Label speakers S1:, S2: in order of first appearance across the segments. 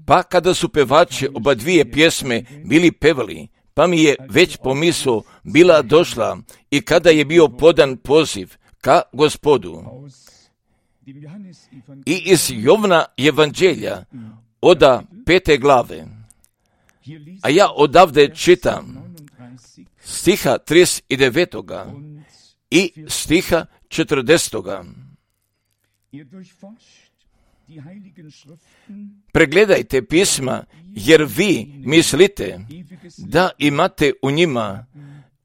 S1: Pa kada su pevači oba dvije pjesme bili pevali, pa mi je već pomisao bila došla i kada je bio podan poziv ka Gospodu. I iz Jovna evanđelja oda 5. glave, a ja odavde čitam stiha 39. i stiha 40. Pregledajte pisma, jer vi mislite da imate u njima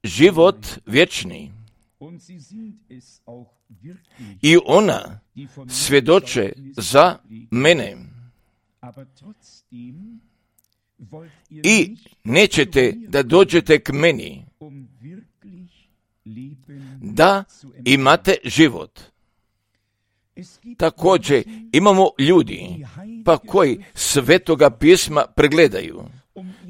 S1: život vječni. I ona svjedoče za mene. I nećete da dođete k meni, da imate život. Također imamo ljudi pa koji Svetoga pisma pregledaju.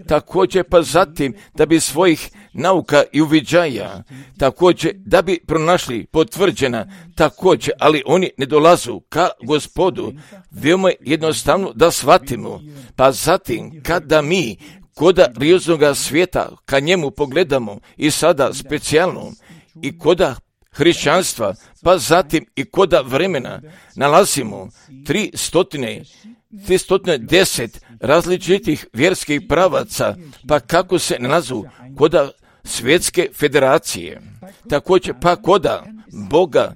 S1: Također pa zatim da bi svojih nauka i uviđaja, također da bi pronašli potvrđena, također, ali oni ne dolazu ka Gospodu, veoma jednostavno da shvatimo. Pa zatim kada mi koda rijoznoga svijeta ka njemu pogledamo i sada specijalno i koda hrišćanstva, pa zatim i koda vremena nalazimo 310 različitih vjerskih pravaca, pa kako se nalazu koda svjetske federacije. Također pa koda Boga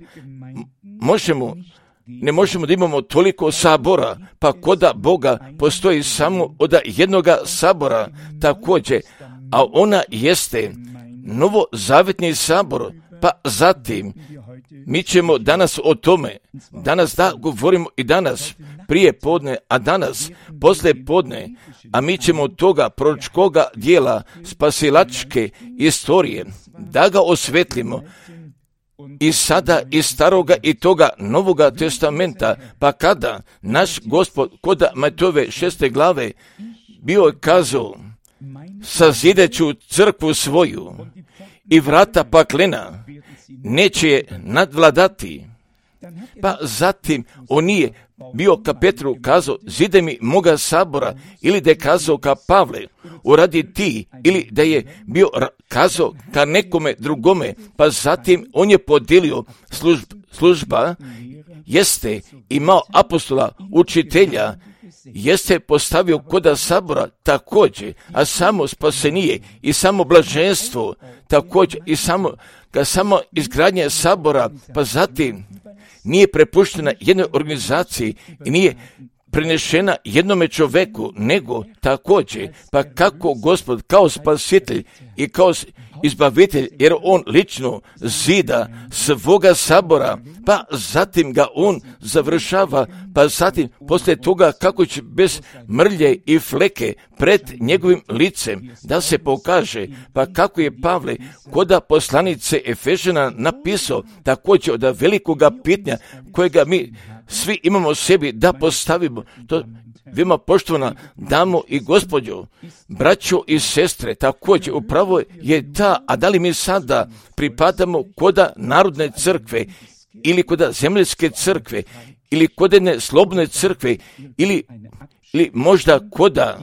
S1: ne možemo da imamo toliko sabora, pa koda Boga postoji samo od jednoga sabora također, a ona jeste novozavetni sabor. Pa zatim, mi ćemo danas o tome, danas da govorimo i danas prije podne, a danas poslije podne, a mi ćemo od toga proročkoga dijela spasilačke istorije da ga osvetlimo i sada iz staroga i toga novoga testamenta, pa kada naš Gospod kod Matejove 6. glave bio je kazao, sazideću crkvu svoju i vrata paklena neće je nadvladati. Pa zatim on nije bio ka Petru kazao, zide mi moga sabora, ili da je kazao ka Pavle, uradi ti, ili da je bio kazao ka nekome drugome, pa zatim on je podijelio služba, jeste imao apostola, učitelja, jeste postavio koda sabora također, a samo spasenije i samo blaženstvo također i samo izgradnje sabora, pa zatim nije prepuštena jednoj organizaciji i nije prenešena jednome čoveku, nego također, pa kako Gospod kao spasitelj i kao izbavitelj, jer on lično zida svoga sabora, pa zatim ga on završava, pa zatim poslije toga kako će bez mrlje i fleke pred njegovim licem da se pokaže, pa kako je Pavle koda poslanice Efežana napisao također od velikoga pitanja kojega mi svi imamo sebi da postavimo. To vima poštovana damo i gospođo, braćo i sestre, također upravo je ta, a da li mi sada pripadamo koda narodne crkve ili koda zemaljske crkve ili kod jedne slobodne crkve ili možda koda,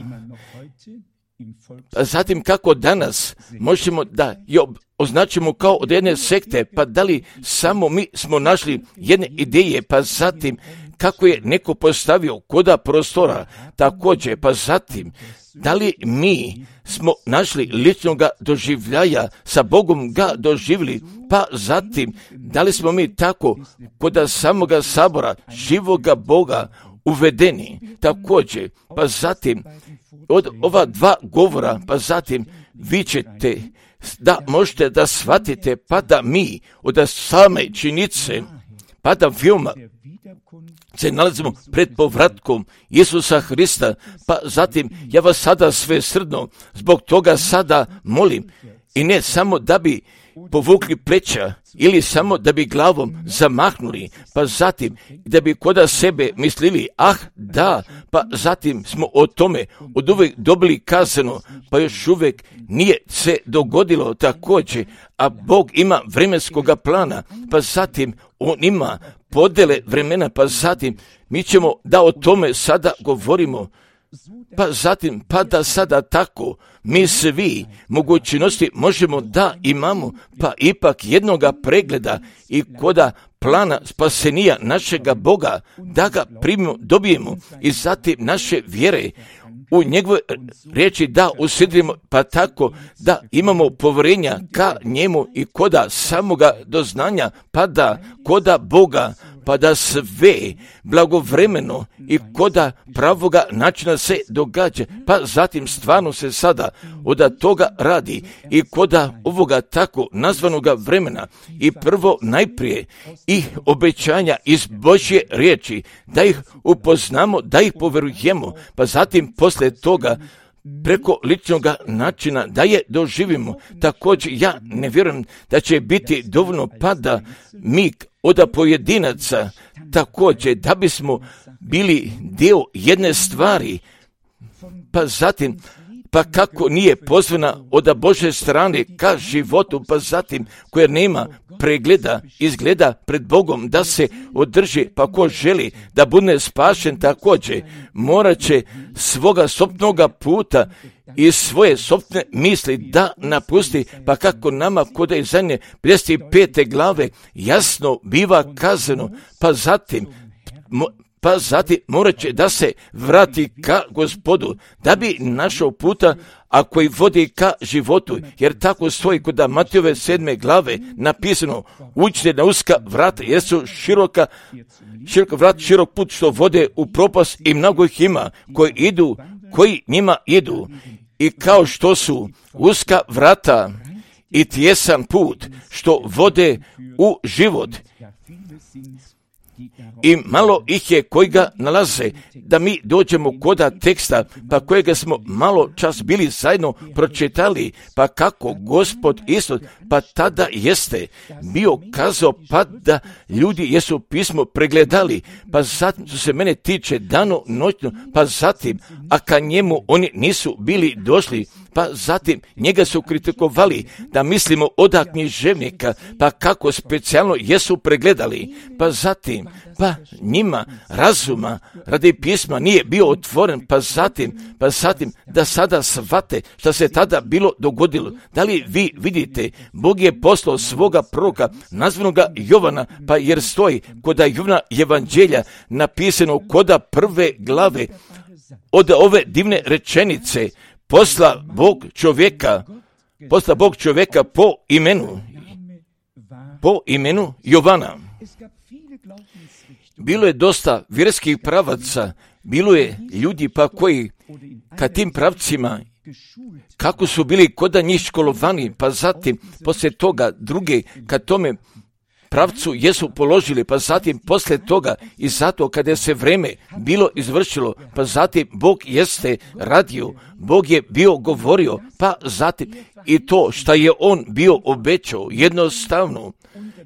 S1: pa zatim kako danas možemo da je označimo kao od jedne sekte, pa da li samo mi smo našli jedne ideje, pa zatim kako je neko postavio koda prostora, također, pa zatim da li mi smo našli ličnoga doživljaja, sa Bogom ga doživjeli, pa zatim da li smo mi tako koda samoga sabora, živoga Boga uvedeni, također, pa zatim od ova dva govora, pa zatim vi ćete da možete da shvatite, pa da mi od same činjenice, pa da veoma se nalazimo pred povratkom Isusa Hrista, pa zatim ja vas sada sve srdno zbog toga sada molim, i ne samo da bi povukli pleća ili samo da bi glavom zamahnuli, pa zatim da bi koda sebe mislili, da, pa zatim smo o tome od uvijek dobili kazano, pa još uvijek nije se dogodilo također, a Bog ima vremenskoga plana, pa zatim On ima podele vremena, pa zatim mi ćemo da o tome sada govorimo, pa zatim, pa da sada tako mi svi mogućnosti možemo da imamo, pa ipak jednoga pregleda i koda plana spasenija našega Boga, da ga primimo, dobijemo i zatim naše vjere u njegove riječi da usidrimo, pa tako da imamo povjerenja ka njemu i koda samoga doznanja, pa da koda Boga, pa da sve blagovremeno i koda pravoga načina se događa, pa zatim stvarno se sada od toga radi i koda ovoga tako nazvanoga vremena i prvo najprije i obećanja iz Božje riječi, da ih upoznamo, da ih poverujemo, pa zatim poslije toga preko ličnog načina da je doživimo. Također ja ne vjerujem da će biti dovoljno pa da mi od pojedinaca također da bismo bili dio jedne stvari, pa zatim pa kako nije pozvana od Božje strane ka životu, pa zatim koja nema pregleda, izgleda pred Bogom da se održi, pa ko želi da bude spašen također, morat će svoga sopnoga puta i svoje sopne misli da napusti, pa kako nama kod Izaije 55. glave jasno biva kazano, pa zatim morat će da se vrati ka Gospodu, da bi našao puta, a koji vodi ka životu, jer tako stoji kod Matejove 7. glave napisano, uđite na uska vrata, jer su širok put što vode u propast i mnogo ih ima koji njima idu. I kao što su uska vrata i tjesan put što vode u život, i malo ih je koji ga nalaze, da mi dođemo koda teksta, pa kojega smo malo čas bili zajedno pročitali, pa kako Gospod Isus, pa tada jeste bio kazao, pa da ljudi jesu pismo pregledali, pa zatim što se mene tiče dano noćno, pa zatim, a ka njemu oni nisu bili došli, pa zatim njega su kritikovali da mislimo od književnika, pa kako specijalno jesu pregledali, pa zatim, pa njima razuma radi pisma nije bio otvoren, pa zatim da sada shvate što se tada bilo dogodilo. Da li vi vidite, Bog je poslao svoga proroka nazvanoga Jovana, pa jer stoji koda Jovana evanđelja napisano koda 1. glave od ove divne rečenice, posla Bog čovjeka po imenu Jovana. Bilo je dosta vjerskih pravaca, bilo je ljudi pa koji ka tim pravcima, kako su bili koda njih školovani, pa zatim poslije toga druge ka tome pravcu jesu položili, pa zatim poslije toga i zato kada se vreme bilo izvršilo, pa zatim Bog jeste radio, Bog je bio govorio, pa zatim i to što je On bio obećao,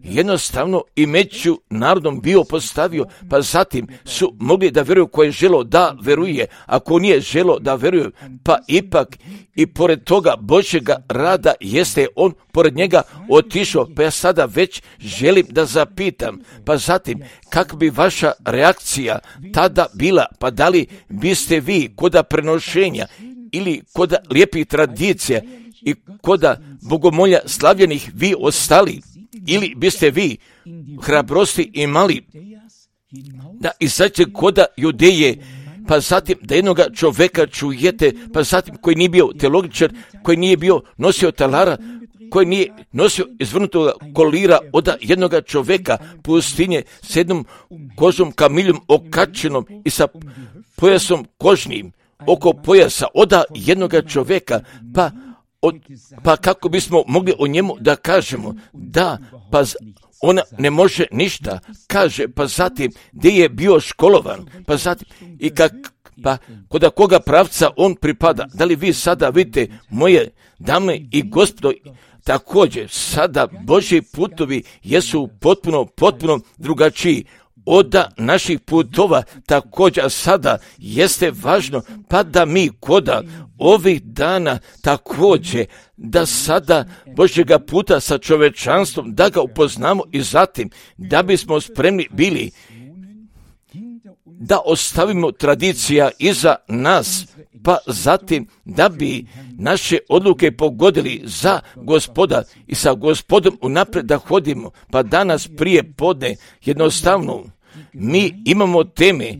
S1: jednostavno i među narodom bio postavio, pa zatim su mogli da vjeruju ko je želo da veruje, ako nije želo da veruje, pa ipak i pored toga Božjega rada jeste On pored njega otišao, pa ja sada već želim da zapitam, pa zatim kak bi vaša reakcija tada bila, pa da li biste vi koda prenošenja ili koda lijepih tradicija i koda bogomolja slavljenih vi ostali, ili biste vi hrabrosti imali da izađete koda Judeje, pa zatim da jednoga čovjeka čujete, pa zatim koji nije bio teologičar, koji nije bio nosio talara, koji nije nosio izvrnutog kolira od jednoga čovjeka pustinje s jednom kožom kamiljom okačenom i sa pojasom kožnim oko pojasa od jednoga čovjeka, pa kako bismo mogli o njemu da kažemo da pa ona ne može ništa, kaže, pa zatim gdje je bio školovan, pa zatim i pa kod koga pravca on pripada. Da li vi sada vidite, moje dame i gospodo, također sada Božji putovi jesu potpuno drugačiji od naših putova. Također sada jeste važno pa da mi koda ovih dana također da sada Božjega puta sa čovečanstvom da ga upoznamo i zatim da bismo spremni bili da ostavimo tradicija iza nas, pa zatim da bi naše odluke pogodili za Gospoda i sa Gospodom unaprijed da hodimo. Pa danas prije podne jednostavno mi imamo teme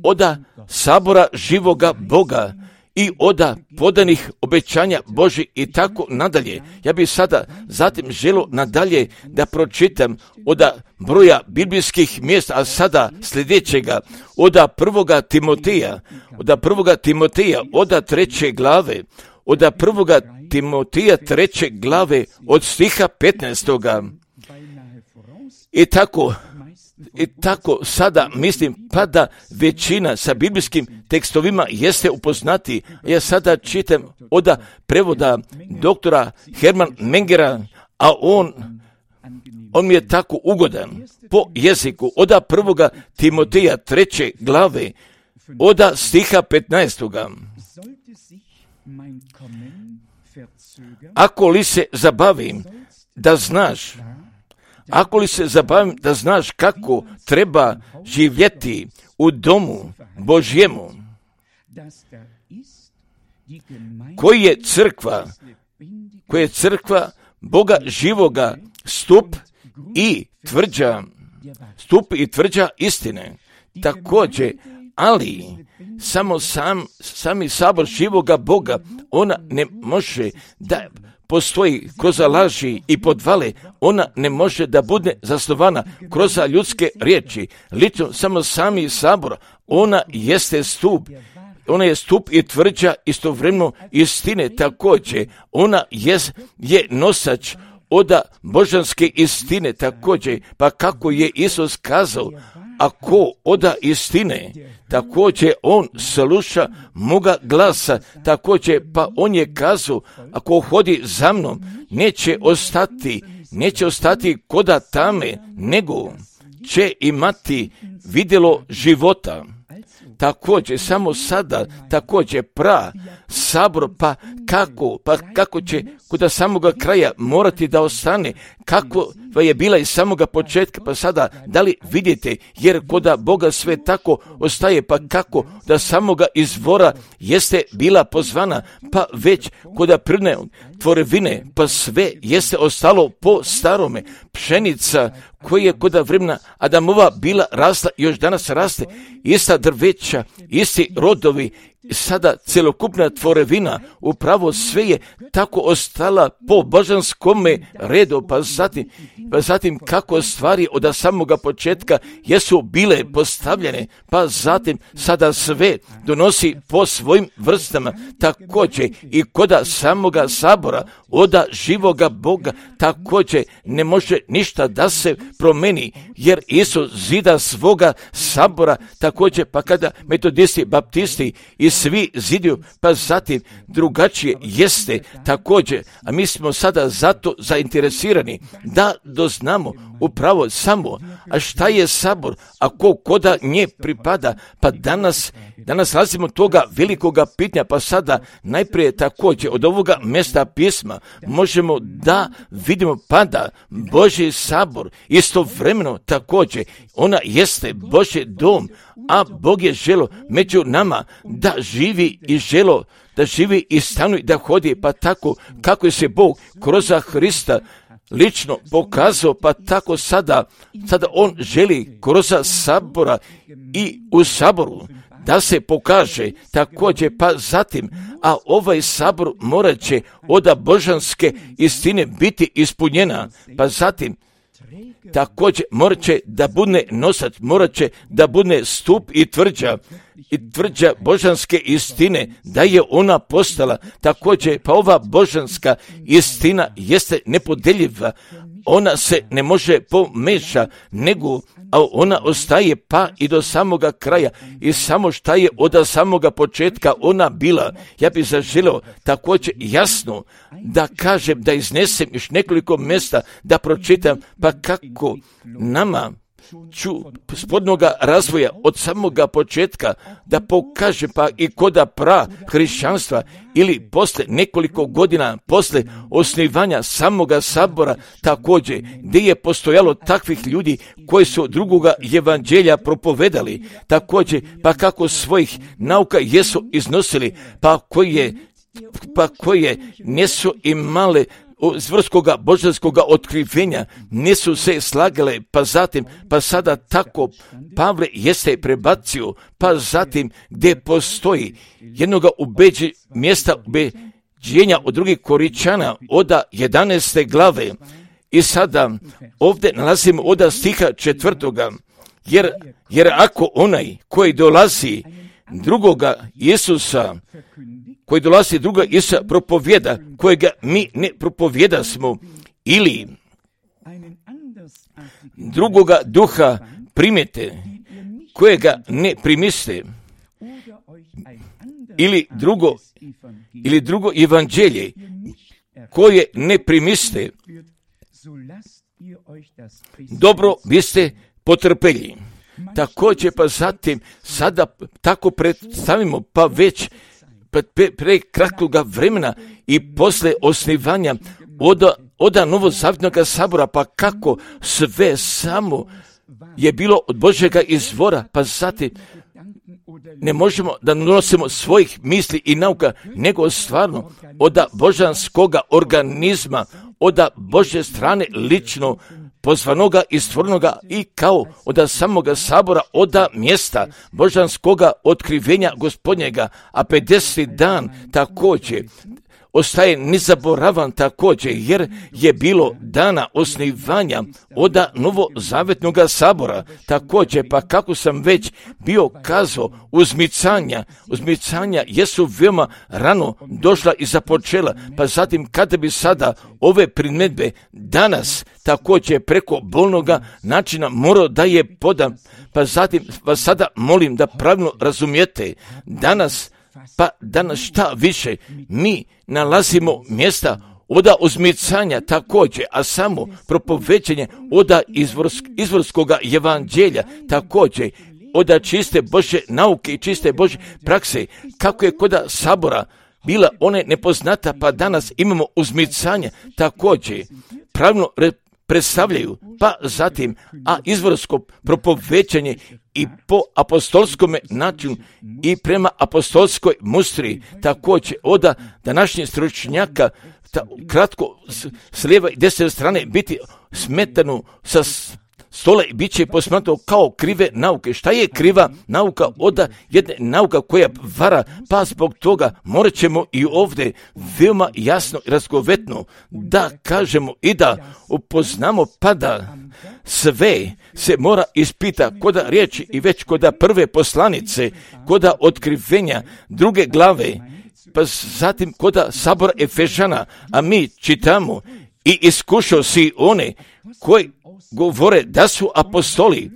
S1: od sabora živoga Boga i od podanih obećanja Božih i tako nadalje. Ja bih sada zatim želio nadalje da pročitam od broja biblijskih mjesta, a sada sljedećega od prvoga Timoteja, od 3. glave, od 1. Timoteja 3. glave od stiha 15. I tako sada mislim pa da većina sa biblijskim tekstovima jeste upoznati. Ja sada čitam od prevoda doktora Herman Mengera, a on mi je tako ugodan po jeziku. Od 1. Timoteja 3. glave od stiha 15. Ako li se zabavim da znaš kako treba živjeti u domu Božjemu, koji je crkva Boga živoga, stup i tvrđa istine. Također, ali sami sabor živoga Boga, ona ne može da postoji kroz laži i podvale, ona ne može da bude zasnovana kroz ljudske riječi. Lično samo sami sabor, ona jeste stup. Ona je stup i tvrđa istovremeno istine. Također, ona je nosač od božanske istine. Također, pa kako je Isus kazao, ako oda istine, također on sluša moga glasa, također pa on je kazao, ako hodi za mnom, neće ostati koda tame, nego će imati vidjelo života. Također, samo sada, također sabor, pa kako će kod samoga kraja morati da ostane, kako je bila iz samoga početka, pa sada, da li vidite, jer kod Boga sve tako ostaje, pa kako da samoga izvora jeste bila pozvana, pa već kod prirodne tvorevine, pa sve jeste ostalo po starome. Pšenica koja je kod vremena Adamova bila rasla, još danas raste, ista drveća, isti rodovi, sada celokupna tvorevina, upravo sve je tako ostala po božanskome redu, pa zatim kako stvari od samoga početka jesu bile postavljene, pa zatim sada sve donosi po svojim vrstama. Također i kod samoga sabora od živoga Boga također ne može ništa da se promeni, jer Isus zida svoga sabora, također pa kada metodisti, baptisti i svi ziduju, pa zatim drugačije jeste također, a mi smo sada zato zainteresirani da doznamo upravo samo, a šta je sabor, a ko koda nje pripada, pa danas razimo toga velikoga pitanja, pa sada najprije također od ovoga mjesta pisma možemo da vidimo pada Božji sabor, istovremeno također ona jeste Božji dom, a Bog je želo među nama da živi i stanuje, da hodi, pa tako kako je se Bog kroz Hrista lično pokazao, pa tako sada on želi kroz sabora i u saboru da se pokaže također, pa zatim, a ovaj sabor morat će od božanske istine biti ispunjena, pa zatim također morat će da bude nosač, morat će da bude stup i tvrđa božanske istine, da je ona postala također, pa ova božanska istina jeste nepodjeljiva, ona se ne može pomeša, nego a ona ostaje pa i do samoga kraja i samo šta je od samoga početka ona bila. Ja bih zaželio također jasno da kažem, da iznesem još nekoliko mjesta, da pročitam, pa kako nama spodnoga razvoja od samoga početka da pokaže pa i koda hrišćanstva ili posle nekoliko godina posle osnivanja samoga sabora također gdje je postojalo takvih ljudi koji su drugoga evanđelja propovedali također pa kako svojih nauka jesu iznosili pa koje nisu imale zvrskoga božanskoga otkrivenja, nisu se slagale, pa zatim, pa sada tako Pavle jeste prebacio, pa zatim gdje postoji jednoga mjesta ubeđenja od drugih Koričana od 11. glave. I sada ovdje nalazimo od stiha 4. Jer ako onaj koji dolazi drugoga Isusa propovjeda, kojega mi ne propovjedasmo, ili drugoga duha primite, kojega ne primiste, ili drugo evanđelje, koje ne primiste, dobro biste potrpeli. Također pa zatim sada tako predstavimo pa već pre kratkoga vremena i posle osnivanja od novozavjetnog sabora, pa kako sve samo je bilo od Božjega izvora, pa zatim ne možemo da nosimo svojih misli i nauka, nego stvarno od božanskoga organizma, od Božje strane lično pozvanoga i stvornoga i kao od samoga sabora, od mjesta božanskoga otkrivenja Gospodnjega, a 50. dan također ostaje nezaboravan također, jer je bilo dana osnivanja od novozavetnog sabora također, pa kako sam već bio kazao, uzmicanja jesu veoma rano došla i započela, pa zatim kada bi sada ove primjedbe danas također preko bolnoga načina morao da je podam, pa zatim vas sada molim da pravilno razumijete, danas šta više, mi nalazimo mjesta od uzmicanja također, a samo propovećenje od izvorskoga evanđelja također, od čiste Božje nauke i čiste Božje prakse, kako je kod sabora bila one nepoznata, pa danas imamo uzmicanje također, pravilno predstavljaju, pa zatim, a izvorsko propovećanje i po apostolskome načinu i prema apostolskoj mustri, također od današnjih stručnjaka, kratko s lijeve i desne strane biti smetano sa stola i bit će posmatrano kao krive nauke. Šta je kriva nauka? Od jedne nauka koja vara, pa zbog toga morat ćemo i ovdje veoma jasno i razgovetno da kažemo i da upoznamo, pa da sve se mora ispita kod riječi i već kod prve poslanice, kod otkrivenja 2. glave, pa zatim kod sabora Efežana, a mi čitamo i iskušao si one koji govore da su apostoli,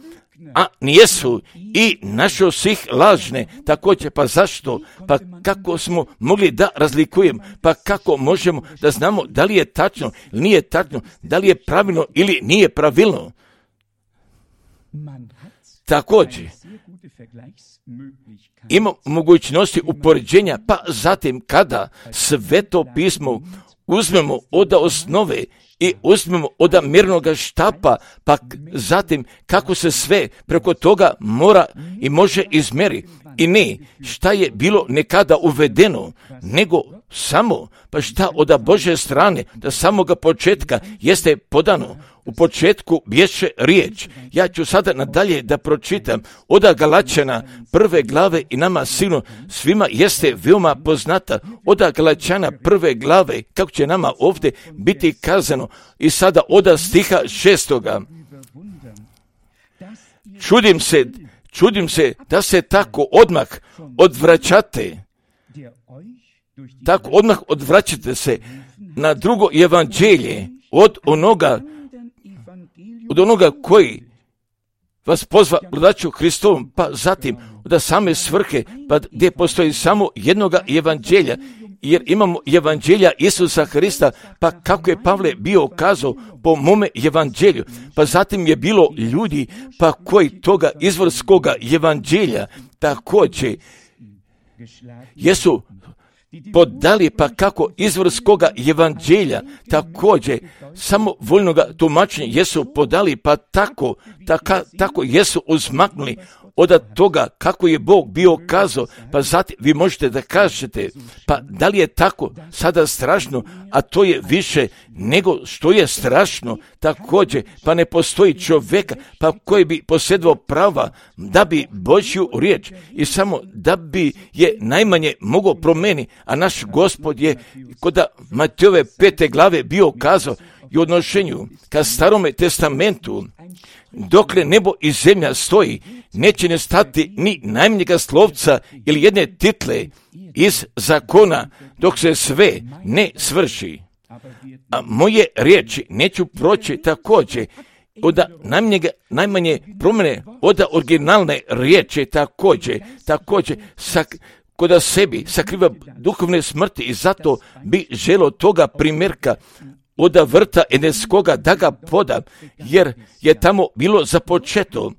S1: a nijesu, i našao si ih lažne. Također, pa zašto? Pa kako smo mogli da razlikujemo? Pa kako možemo da znamo da li je tačno ili nije tačno, da li je pravilno ili nije pravilno? Također, ima mogućnosti upoređenja, pa zatim kada Sveto pismo uzmemo od osnove i uzmemo od mirnoga štapa, pa zatim kako se sve preko toga mora i može izmjeri. I ne šta je bilo nekada uvedeno, nego samo pa šta od Božje strane, da samoga početka jeste podano. U početku bješe riječ. Ja ću sada nadalje da pročitam od Galačana 1. glave i nama sigurno svima jeste veoma poznata od Galačana 1. glave, kako će nama ovdje biti kazano, i sada od stiha 6. Čudim se da se tako odmah odvraćate, odvraćate se na drugo evanđelje od onoga od onoga koji vas pozva gledaću Hristovom, pa zatim od same svrhe, pa gdje postoji samo jednoga evanđelja, jer imamo evanđelja Isusa Hrista, pa kako je Pavle bio kazao po mome evanđelju, pa zatim je bilo ljudi, pa koji toga izvorskoga evanđelja također jesu podali, pa kako izvorskoga evanđelja također samovoljnoga tumačenja jesu podali, pa tako jesu uzmaknuli od toga kako je Bog bio kazao, pa zatim vi možete da kažete, pa da li je tako sada strašno, a to je više nego što je strašno također, pa ne postoji čovjeka pa koji bi posjedovao prava da bi Božju riječ i samo da bi je najmanje mogao promijeniti, a naš Gospod je kod Matejove 5. glave bio kazao i u odnošenju ka Starome testamentu, dokle nebo i zemlja stoji, neće nestati ni najmanjega slovca ili jedne title iz zakona, dok se sve ne svrši. A moje riječi neću proći također od najmanje promjene od originalne riječi također kod sebi sakriva duhovne smrti i zato bi želio toga primjerka od vrta Edenskoga da ga podam, jer je tamo bilo započeto.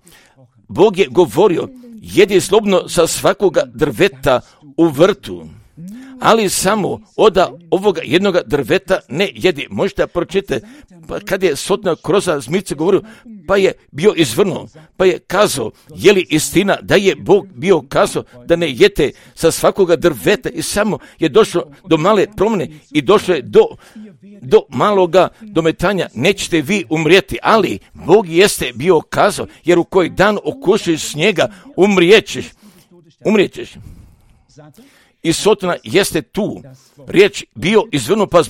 S1: Bog je govorio, jedi slobodno sa svakoga drveta u vrtu, ali samo od ovoga jednoga drveta ne jedi. Možete pročitati, pa kad je Sotona kroz zmice govorio, pa je bio izvrnuo, pa je kazao, je li istina da je Bog bio kazao da ne jete sa svakoga drveta i samo je došlo do male promjene i došlo je do maloga dometanja, nećete vi umrijeti, ali Bog jeste bio kazao, jer u koji dan okušiš njega, umrijećeš. I Sotona jeste tu, riječ bio izvrnuo, pa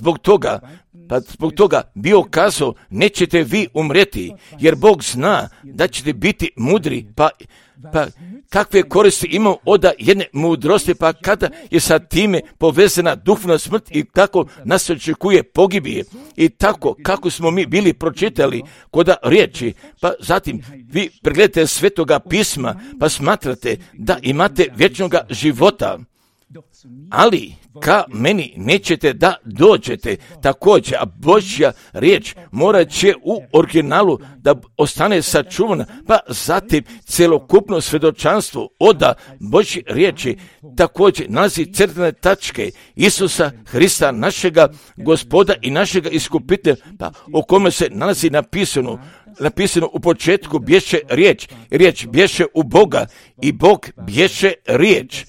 S1: zbog toga bio kazao, nećete vi umrijeti, jer Bog zna da ćete biti mudri, pa kakve koristi imamo od jedne mudrosti, pa kada je sa time povezana duhovna smrt i kako nas očekuje pogibije i tako kako smo mi bili pročitali kod riječi, pa zatim vi pregledate Svetoga pisma, pa smatrate da imate vječnoga života, ali ka meni nećete da dođete također, a Božja riječ morat će u originalu da ostane sačuvana, pa zatim celokupno svjedočanstvo od Božje riječi također nalazi crtane tačke Isusa Hrista, našega Gospoda i našega iskupitelja, pa o kome se nalazi napisano u početku bješe riječ bješe u Boga i Bog bješe riječ.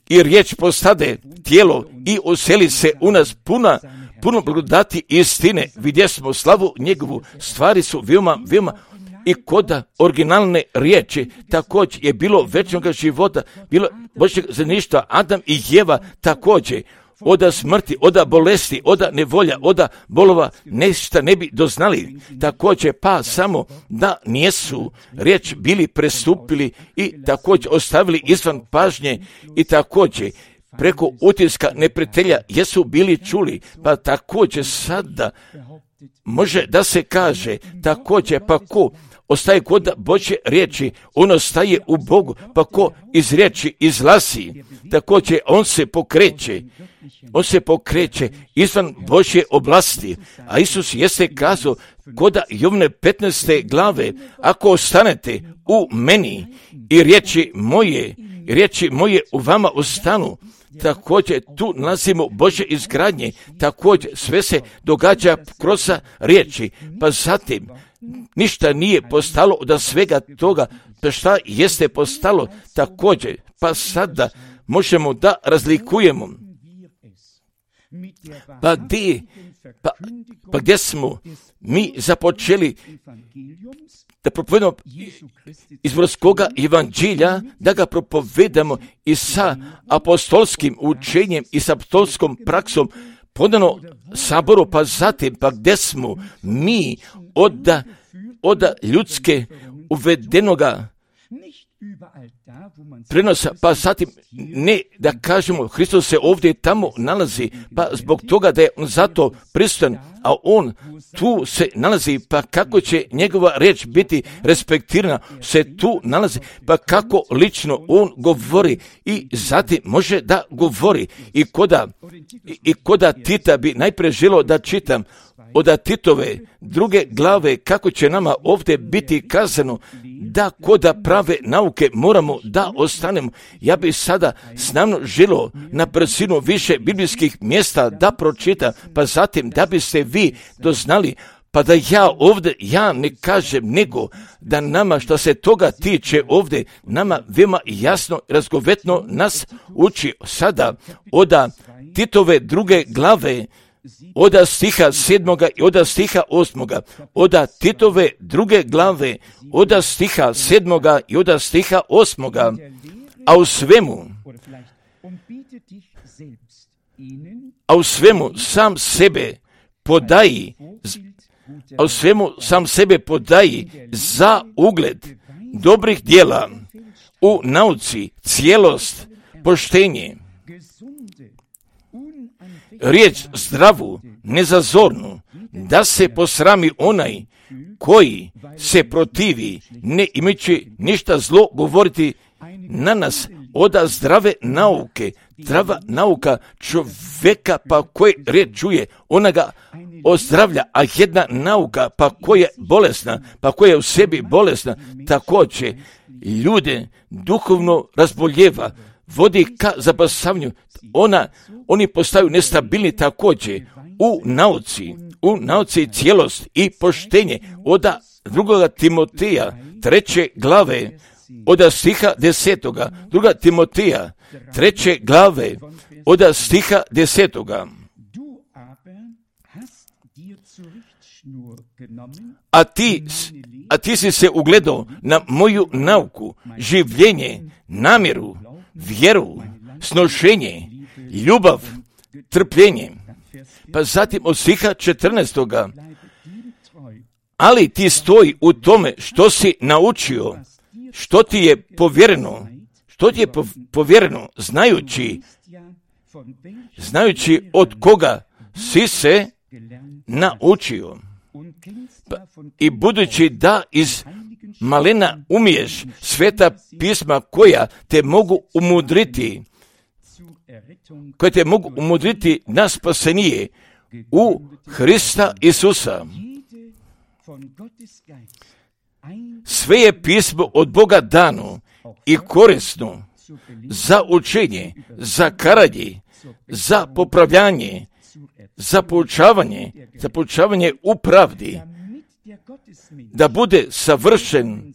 S1: I riječ postade tijelo i useli se u nas puno blagodati istine. Vidjeli smo slavu njegovu, stvari su veoma i kod originalne riječi također je bilo večnog života, bilo Božjeg zajedništva, Adam i Jeva također. Od smrti, od bolesti, od nevolja, od bolova nešto ne bi doznali. Također pa samo da nijesu riječ bili prestupili i također ostavili izvan pažnje i također preko utiska neprijatelja jesu bili čuli, pa također sada može da se kaže također pa ko ostaje kod Božje riječi, on ostaje u Bogu, pa ko iz riječi izlazi, također on se pokreće izvan Božje oblasti, a Isus jeste kazao kod Jovne 15. glave, ako ostanete u meni i riječi moje u vama ostanu, također tu nalazimo Božje izgradnje, također sve se događa kroz riječi, pa zatim ništa nije postalo od svega toga, pa šta jeste postalo također, pa sada možemo da razlikujemo. Pa gdje smo mi započeli da propovedamo izvorskoga evanđelja, da ga propovedamo i sa apostolskim učenjem i sa apostolskom praksom podano saboru, pa zatim pa gdje smo mi od ljudske uvedenoga prenosa, pa zatim ne da kažemo Hristos se ovdje i tamo nalazi, pa zbog toga da je on zato prisutan, a on tu se nalazi, pa kako će njegova riječ biti respektirana, se tu nalazi, pa kako lično on govori i zatim može da govori i koda Tita bi najprije želio da čitam od Titove 2. glave, kako će nama ovdje biti kazano da koda prave nauke moramo da ostanemo. Ja bih sada snamno želio na brzinu više biblijskih mjesta da pročitam, pa zatim da biste vi doznali, pa da ja ne kažem, nego da nama što se toga tiče ovdje, nama veoma jasno, razgovetno nas uči sada od Titove 2. glave, od stiha 7. i od stiha 8. Od Titove 2. glave, od stiha 7. i od stiha 8. A u svemu sam sebe podaji za ugled dobrih djela, u nauci, cijelost, poštenje, riječ zdravu, nezazornu, da se posrami onaj koji se protivi, ne imajući ništa zlo govoriti na nas od zdrave nauke. Zdrava nauka čovjeka pa koji riječ čuje, ona ga ozdravlja, a jedna nauka pa koja je bolesna, pa koja je u sebi bolesna, također ljude duhovno razboljeva, vodi ka zapasavanju. Oni postaju nestabilni također u nauci cijelost i poštenje. Od 2. Timoteja 3. glave od stiha 10. 2. Timoteja 3. glave od stiha 10. A ti si se ugledao na moju nauku, življenje, namjeru, vjeru, snošenje, ljubav, trpljenje. Pa zatim od stiha 14. Ali ti stoji u tome što si naučio, što ti je povjereno, znajući od koga si se naučio. I budući da iz malena umiješ sveta pisma koja te mogu umudriti na spasenije u Hrista Isusa. Sve je pismo od Boga dano i korisno za učenje, za karanje, za popravljanje, za poučavanje u pravdi, da bude savršen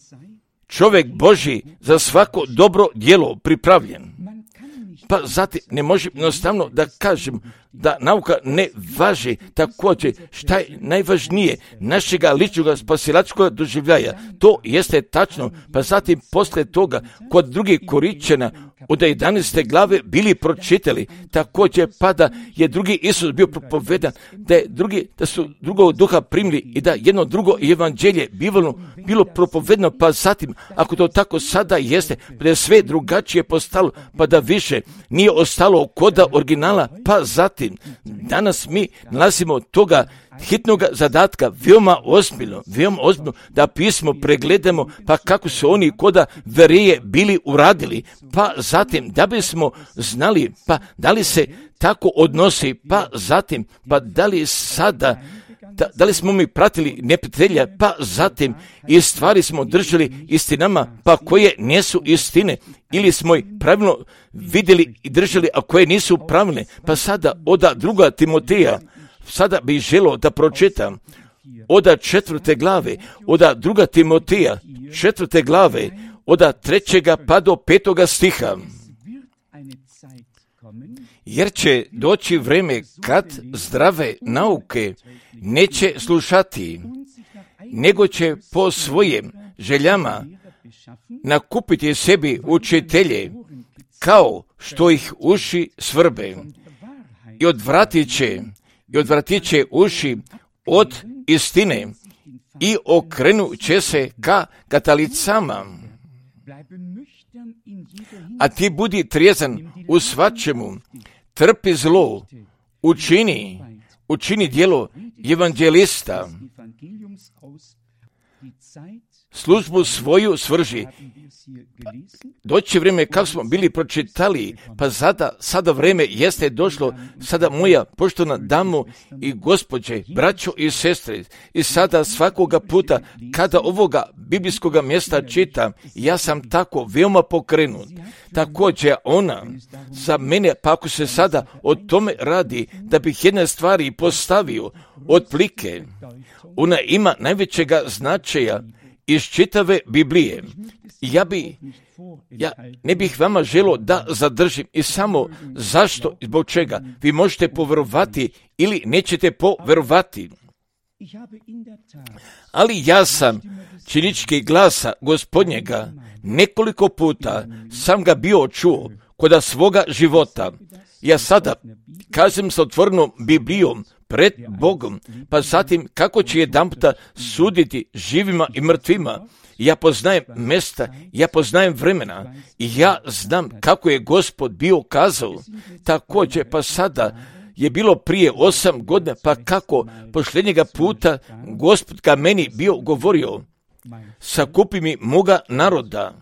S1: čovjek Božji za svako dobro djelo pripravljen. Pa zatim ne možem jednostavno da kažem da nauka ne važi također šta je najvažnije našega ličnog spasilačkog doživljaja. To jeste tačno, pa zatim poslije toga kod drugih Korinćana od 11. glave bili pročitali također, pa da je drugi Isus bio propovedan, da su drugog duha primili i da jedno drugo evanđelje bilo propovedno, pa zatim ako to tako sada jeste, pa da je sve drugačije postalo, pa da više nije ostalo koda originala, pa zatim danas mi nalazimo toga hitnog zadatka veoma ozbiljno, da pismo pregledamo, pa kako su oni koda verije bili uradili, pa zatim da bismo znali, pa da li se tako odnosi, pa zatim, pa da li sada, da li smo mi pratili neprijatelja, pa zatim i stvari smo držali istinama, pa koje nisu istine, ili smo ih pravilno vidjeli i držali, a koje nisu pravilne. Pa sada od 2. Timoteja, sada bih želio da pročitam od 4. glave, od 2. Timoteja 4. glave, od 3. pa do 5. stiha. Jer će doći vreme kad zdrave nauke neće slušati, nego će po svojim željama nakupiti sebi učitelje, kao što ih uši svrbe, i odvratit će uši od istine i okrenut će se ka katalicama. A ti budi trijezan u svačemu, trpi zlo, učini djelo evanđelista, službu svoju svrži. Doći vrijeme kako smo bili pročitali, pa sada vrijeme jeste došlo, sada moja poštovana damo i gospođe, braćo i sestre, i sada svakoga puta kada ovoga biblijskoga mjesta čitam, ja sam tako veoma pokrenut. Također ona za mene, pa ako se sada o tome radi, da bih jedne stvari postavio otplike, ona ima najvećega značaja iz čitave Biblije. Ja ne bih vama želio da zadržim i samo zašto i zbog čega. Vi možete poverovati ili nećete poverovati. Ali ja sam činički glasa Gospodnjega nekoliko puta sam ga bio čuo kod svoga života. Ja sada kažem sa otvorenom Biblijom pred Bogom, pa zatim kako će jedanputa suditi živima i mrtvima. Ja poznajem mjesta, ja poznajem vremena i ja znam kako je Gospod bio kazao. Također, pa sada je bilo prije 8 godina, pa kako posljednjega puta Gospod ka meni bio govorio, sakupi mi moga naroda.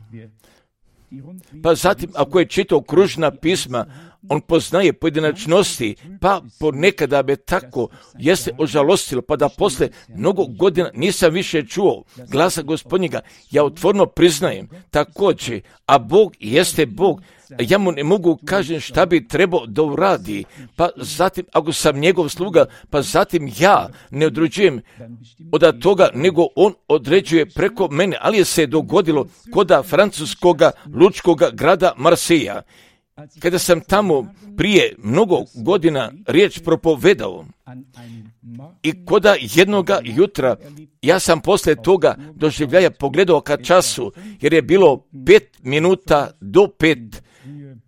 S1: Pa zatim, ako je čitao kružna pisma, on poznaje pojedinačnosti, pa ponekada me tako jeste ožalostilo, pa da posle mnogo godina nisam više čuo glasa Gospodnjega. Ja otvoreno priznajem također, a Bog jeste Bog, ja mu ne mogu kažem šta bi trebao da uradi, pa zatim ako sam njegov sluga, pa zatim ja ne određujem od toga, nego on određuje preko mene, ali je se dogodilo koda francuskoga lučkoga grada Marseja. Kada sam tamo prije mnogo godina riječ propovedao i koda jednoga jutra, ja sam posle toga doživljaja pogledao ka času, jer je bilo 5 minuta do 5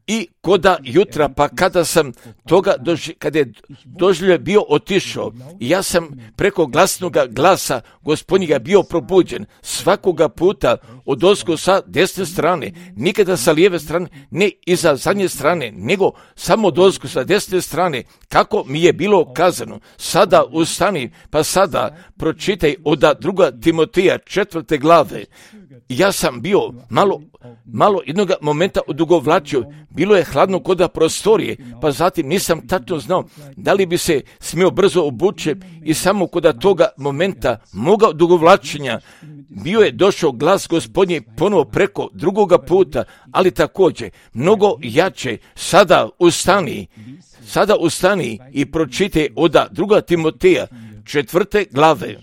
S1: i koda jutra, pa kada sam toga, kada je doživljaj bio otišao, ja sam preko glasnoga glasa Gospodnjega bio probuđen svakoga puta odozgo sa desne strane, nikada sa lijeve strane, ne iza zadnje strane, nego samo odozgo sa desne strane, kako mi je bilo kazano. Sada ustani, pa sada pročitaj od 2. Timoteja 4. glave. Ja sam bio malo jednog momenta odugovlačio, bilo je hladno koda prostorije, pa zatim nisam tačno znao da li bi se smio brzo obući i samo koda toga momenta moga odugovlačenja bio je došao glas Gospodnji ponovo preko drugoga puta, ali također mnogo jače. Sada ustani i pročitaj od 2. Timoteja 4. glave.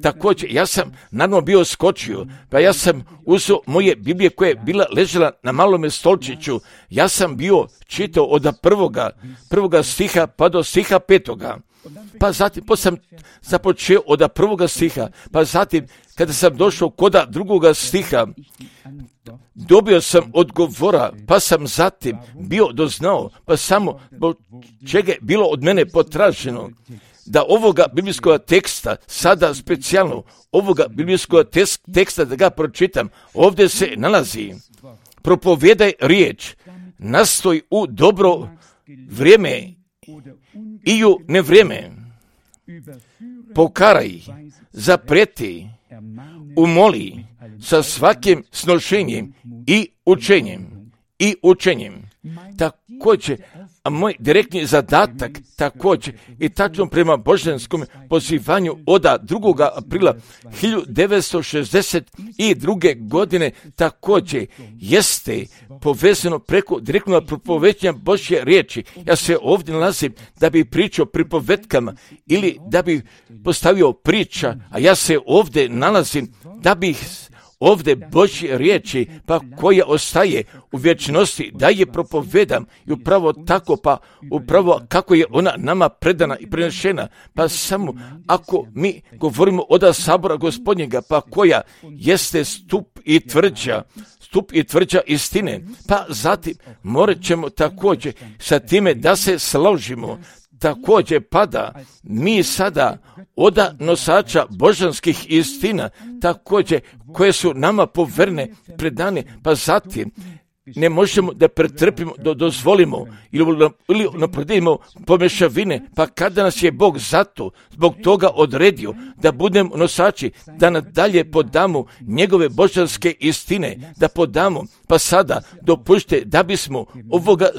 S1: Također, ja sam naravno bio skočio, pa ja sam uzeo moje Biblije koja je bila ležela na malome stolčiću, ja sam bio čitao od prvoga stiha pa do stiha 5. Pa zatim sam započeo od 1. stiha, pa zatim kada sam došao kod 2. stiha, dobio sam odgovora, pa sam zatim bio doznao, pa samo čega je bilo od mene potraženo, da ovoga biblijskog teksta, sada specijalno ovoga biblijskog teksta da ga pročitam, ovdje se nalazi: propovijedaj riječ, nastoj u dobro vrijeme i u nevrijeme, pokaraj, zaprijeti, umoli sa svakim snošenjem i učenjem. Također, a moj direktni zadatak također i tačno prema božanskom pozivanju od 2. aprila 1962. godine također jeste povezano preko direktnog propovećanja Božje riječi. Ja se ovdje nalazim da bi pričao pripovetkama ili da bi postavio priča, a ja se ovdje nalazim da bih ovdje Božje riječi, pa koja ostaje u vječnosti, da je propovedam i upravo tako, pa upravo kako je ona nama predana i prenešena, pa samo ako mi govorimo od sabora Gospodnjega, pa koja jeste stup i tvrđa istine, pa zatim morat ćemo također sa time da se složimo, također pada, mi sada oda nosača božanskih istina, također koje su nama poverne, predane, pa zatim ne možemo da pretrpimo, da dozvolimo ili napredimo pomešavine, pa kada nas je Bog zbog toga odredio da budemo nosači, da nadalje podamo njegove božanske istine, da podamo, pa sada dopušte da bismo ovoga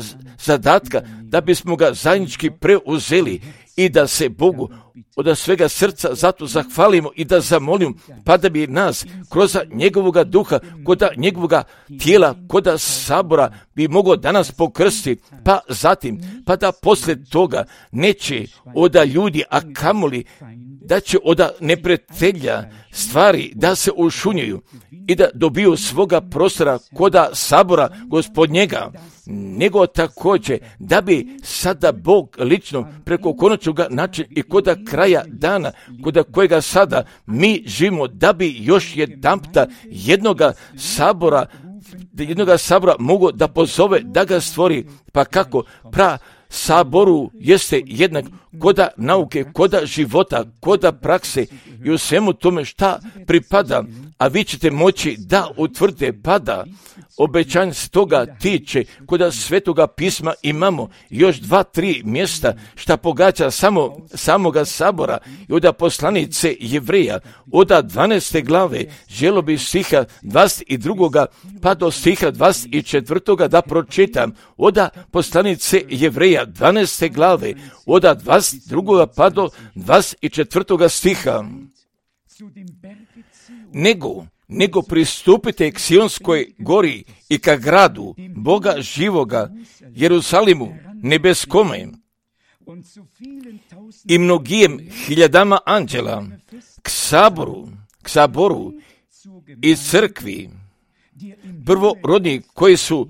S1: zadatka, da bismo ga zajednički preuzeli i da se Bogu od svega srca zato zahvalimo i da zamolimo, pa da bi nas kroz njegovoga duha, koda njegovoga tijela, koda sabora bi mogao danas pokrstiti, pa zatim, pa da poslije toga neće oda ljudi, a kamoli da će oda neprijatelja stvari da se ušunjuju i da dobiju svoga prostora koda sabora Gospodnjega, nego također da bi sada Bog lično preko konačnog načina i koda kraja dana, koda kojega sada mi živimo, da bi još jedanputa jednoga sabora mogu da pozove, da ga stvori, pa kako saboru jeste jednak koda nauke, koda života, koda prakse i u svemu tome šta pripada, a vi ćete moći da utvrdite pada obećanje s toga tiče, koda Svetoga pisma imamo još 2-3 mjesta šta pogađa samoga sabora i od poslanice Jevreja, od 12. glave, želo bi stiha 22. pa do stiha 24. da pročitam, od poslanice Jevreja 12. glave, od 22. pa do 24. stiha. Nego pristupite k Sionskoj gori i ka gradu Boga živoga, Jerusalimu nebeskome i mnogijem hiljadama anđela, k saboru i crkvi prvorodni koji su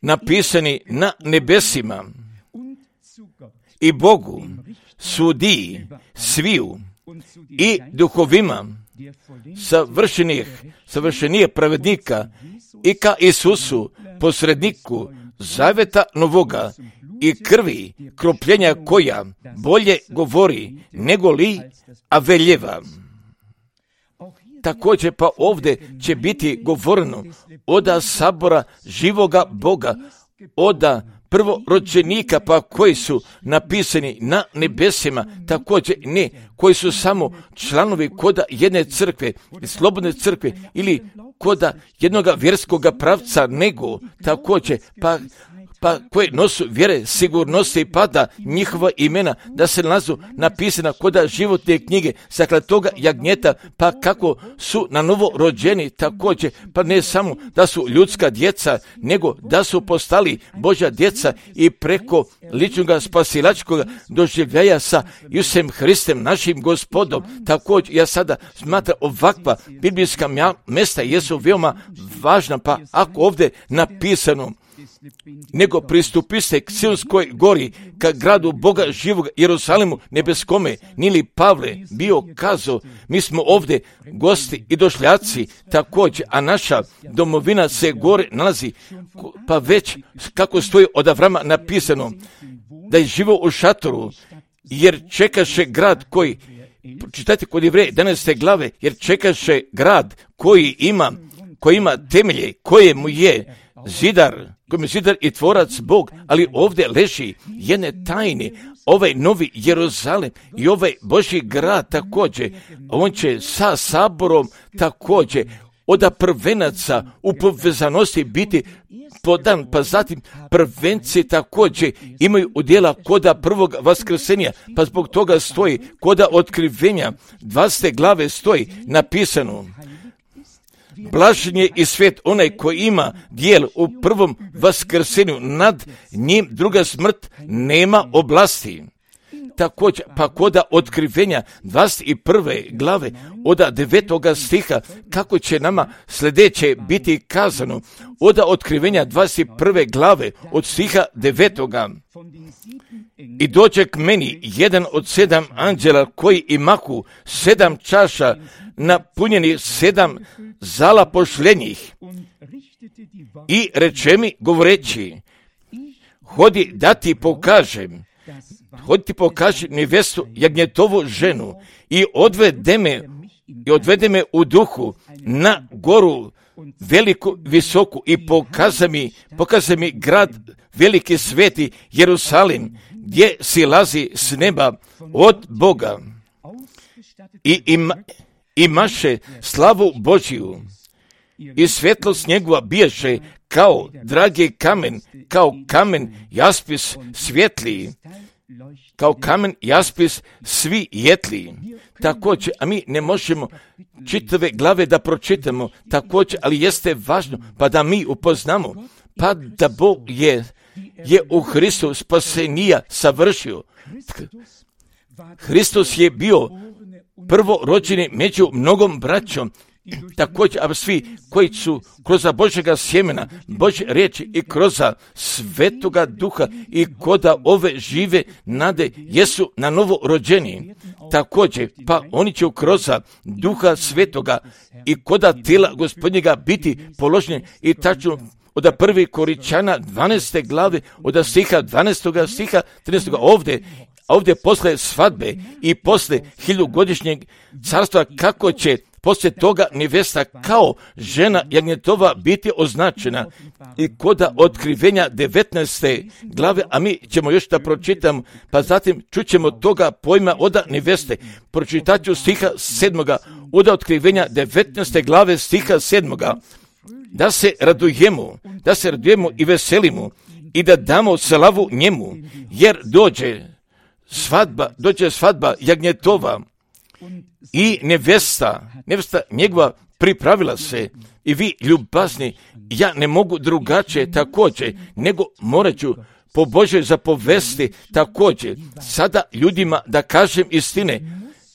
S1: napisani na nebesima i Bogu sudiji sviju i duhovima savršenije pravednika i ka Isusu posredniku zaveta novoga i krvi kropljenja koja bolje govori nego li Aveljeva. Također pa ovdje će biti govoreno od sabora živoga Boga, od prvorođenika pa koji su napisani na nebesima, također ne koji su samo članovi koda jedne crkve, slobodne crkve ili koda jednoga vjerskoga pravca, nego također pa koje nosu vjere sigurnosti pada njihova imena da se nalazu napisana koda životne knjige saklatoga jagnjeta, pa kako su na novo rođeni također, pa ne samo da su ljudska djeca, nego da su postali Božja djeca i preko ličnog spasilačkog doživljaja sa Isusem Hristem, našim Gospodom. Također ja sada smatram ovakva biblijska mjesta jesu veoma važna, pa ako ovdje napisano nego pristupiste k Sionskoj gori, ka gradu Boga živog, Jerusalimu nebeskome, nili Pavle bio kazao, mi smo ovdje gosti i došljaci također, a naša domovina se gore nalazi, pa već kako stoji od Avrama napisano, da je živo u šatoru, jer čekaše grad koji, čitajte kod Jevreja 11. glave, jer čekaše grad koji ima temelje, koje mu je zidar i tvorac Bog, ali ovdje leži jedne tajne, ovaj novi Jeruzalem i ovaj Božji grad također, on će sa saborom također od prvenaca u povezanosti biti podan, pa zatim prvenci također imaju udjela koda prvog vaskrsenja, pa zbog toga stoji koda otkrivenja 20. glave stoji napisano, blažen je i svijet onaj koji ima dijel u prvom vaskrsenju, nad njim druga smrt nema oblasti. Također, pa koda otkrivenja 21. glave od 9. stiha, kako će nama sljedeće biti kazano, od otkrivenja 21. glave od stiha 9. I dođe k meni jedan od 7 anđela koji imahu 7 čaša napunjeni 7 zala pošljenjih i reče mi govoreći, hodi da ti pokažem hodi ti pokaži nevestu jagnjetovu ženu i odvede me u duhu na goru veliku, visoku i pokaza mi grad veliki sveti Jerusalim, gdje silazi s neba od Boga i imaše slavu Božiju i svjetlost njegova bijaše kao dragi kamen, kao kamen jaspis svjetliji, kao kamen jaspis svi jetliji. Također, a mi ne možemo čitave glave da pročitamo, također, ali jeste važno pa da mi upoznamo, pa da Bog je u Hristu spasenija savršio. Hristos je bio prvorođeni među mnogom braćom, također, a svi koji su kroz Božjega sjemena, Božje riječi i kroz Svetoga Duha i koda ove žive nade jesu na novo rođeni. Također, pa oni će kroz Duha Svetoga i koda tijela Gospodnjega biti položeni i tačno od 1. Koričana 12. glave, od stiha 12. stiha 13. Ovdje posle svadbe i posle 1000-godišnjeg carstva, kako će poslije toga nevesta kao žena jagnjetova biti označena i koda otkrivenja 19. glave, a mi ćemo još da pročitamo, pa zatim čućemo toga pojma od neveste. Pročitat ću stiha 7. od otkrivenja 19. glave stiha 7. Da se radujemo i veselimo i da damo slavu njemu, jer dođe svadba jagnjetova i nevesta njegova pripravila se. I vi ljubazni, ja ne mogu drugačije također, nego morat ću po Božoj zapovesti također sada ljudima da kažem istine.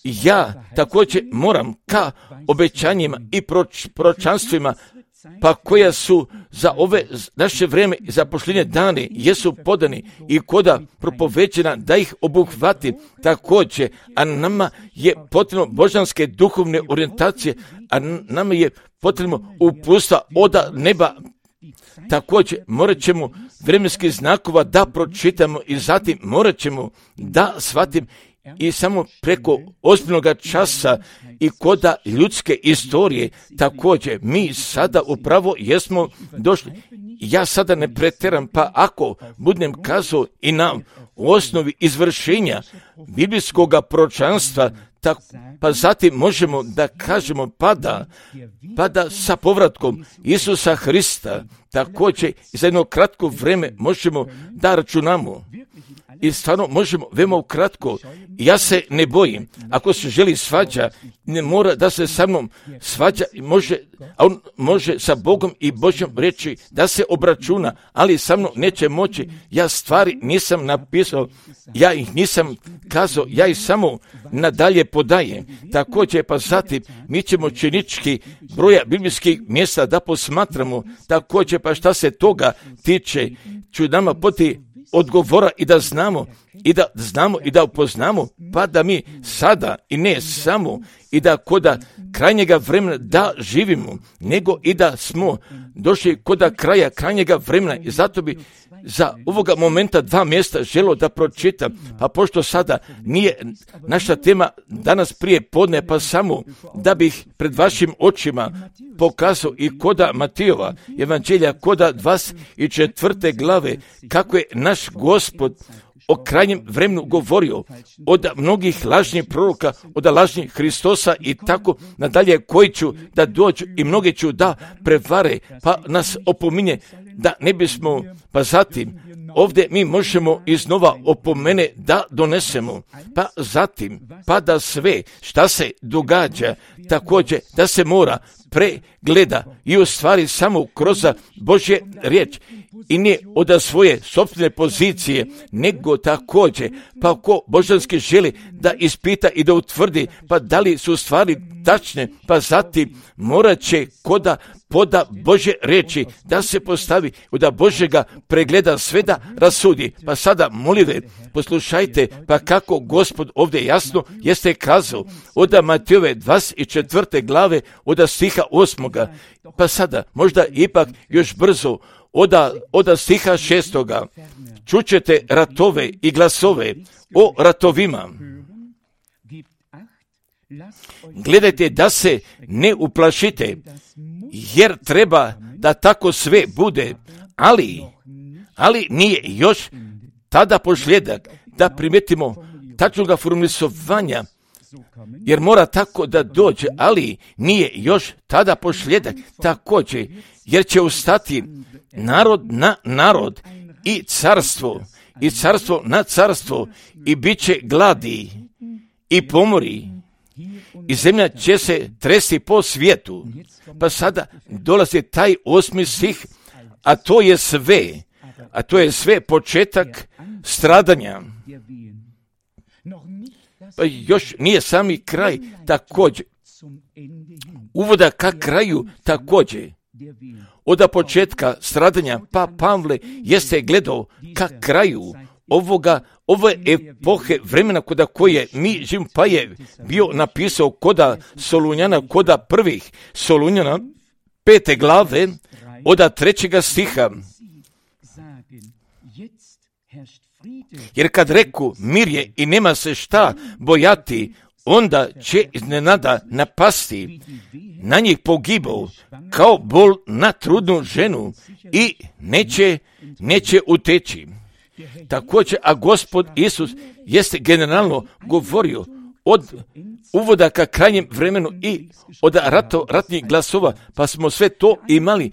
S1: Ja također moram ka obećanjima i proročanstvima, pa koja su za ove naše vrijeme i za posljednje dane jesu podani i koda propoveđena da ih obuhvati također, a nama je potrebno božanske duhovne orijentacije, a nama je potrebno uputstva od neba. Također morat ćemo vremenskih znakova da pročitamo i zatim morat ćemo da shvatim i samo preko ozbiljnoga časa i koda ljudske istorije također mi sada upravo jesmo došli. Ja sada ne pretjeram, pa ako budem kazao i nam u osnovi izvršenja biblijskog proročanstva, pa zatim možemo da kažemo pa da sa povratkom Isusa Hrista također i za jedno kratko vrijeme možemo da računamo. I stvarno možemo veoma ukratko. Ja se ne bojim. Ako se želi svađa, ne mora da se sa mnom svađa, a on može sa Bogom i Božjom reći da se obračuna, ali sa mnom neće moći. Ja stvari nisam napisao, ja ih nisam kazao, ja ih samo nadalje podajem. Također pa zatim mi ćemo činički broja biblijskih mjesta da posmatramo. Također pa šta se toga tiče, ću nama poti odgovora i da znamo i da upoznamo, pa da mi sada i ne samo i da koda krajnjega vremena da živimo, nego i da smo došli koda kraja krajnjega vremena. I zato bi za ovoga momenta 2 mjesta želio da pročitam, pa pošto sada nije naša tema danas prije podne, pa samo da bih pred vašim očima pokazao i koda Matijova evanđelja, koda 24. glave, kako je naš Gospod o krajnjem vremenu govorio od mnogih lažnih proroka, od lažnih Hristosa i tako nadalje, koji ću da dođu i mnogi ću da prevare, pa nas opominje da ne bismo, pa zatim ovdje mi možemo iznova opomene da donesemo, pa zatim, pa da sve šta se događa također da se mora pregleda i u stvari samo kroz Božje riječ i ne od svoje sopstvene pozicije, nego također pa ko božanski želi da ispita i da utvrdi pa da li su stvari tačne, pa zatim morat će koda poda Božje riječi da se postavi, da Božjega pregleda sve da rasudi. Pa sada molite, poslušajte pa kako Gospod ovdje jasno jeste kazao od Matijove 24. glave od stiha 8. Pa sada možda ipak još brzo od stiha 6. Čućete ratove i glasove o ratovima. Gledajte da se ne uplašite, jer treba da tako sve bude, ali nije još tada posljedak da primetimo tačnoga formulisovanja, jer mora tako da dođe, ali nije još tada posljedak također, jer će ustati narod na narod i carstvo na carstvo i bit će gladi i pomori i zemlja će se tresti po svijetu. Pa sada dolazi taj 8. stih, a to je sve početak stradanja. Pa još nije sami kraj također. Uvoda ka kraju također. Od početka stradanja, pa Pavle jeste gledao ka kraju ove epohe vremena koda koje mi živimo, pa je bio napisao koda Solunjana, koda prvih Solunjana 5. glave od 3. stiha. Jer kad reku mir je i nema se šta bojati, onda će iznenada napasti na njih pogibao kao bol na trudnu ženu i neće uteći. Također, a Gospod Isus jeste generalno govorio od uvoda ka krajnjem vremenu i od ratnih glasova, pa smo sve to imali.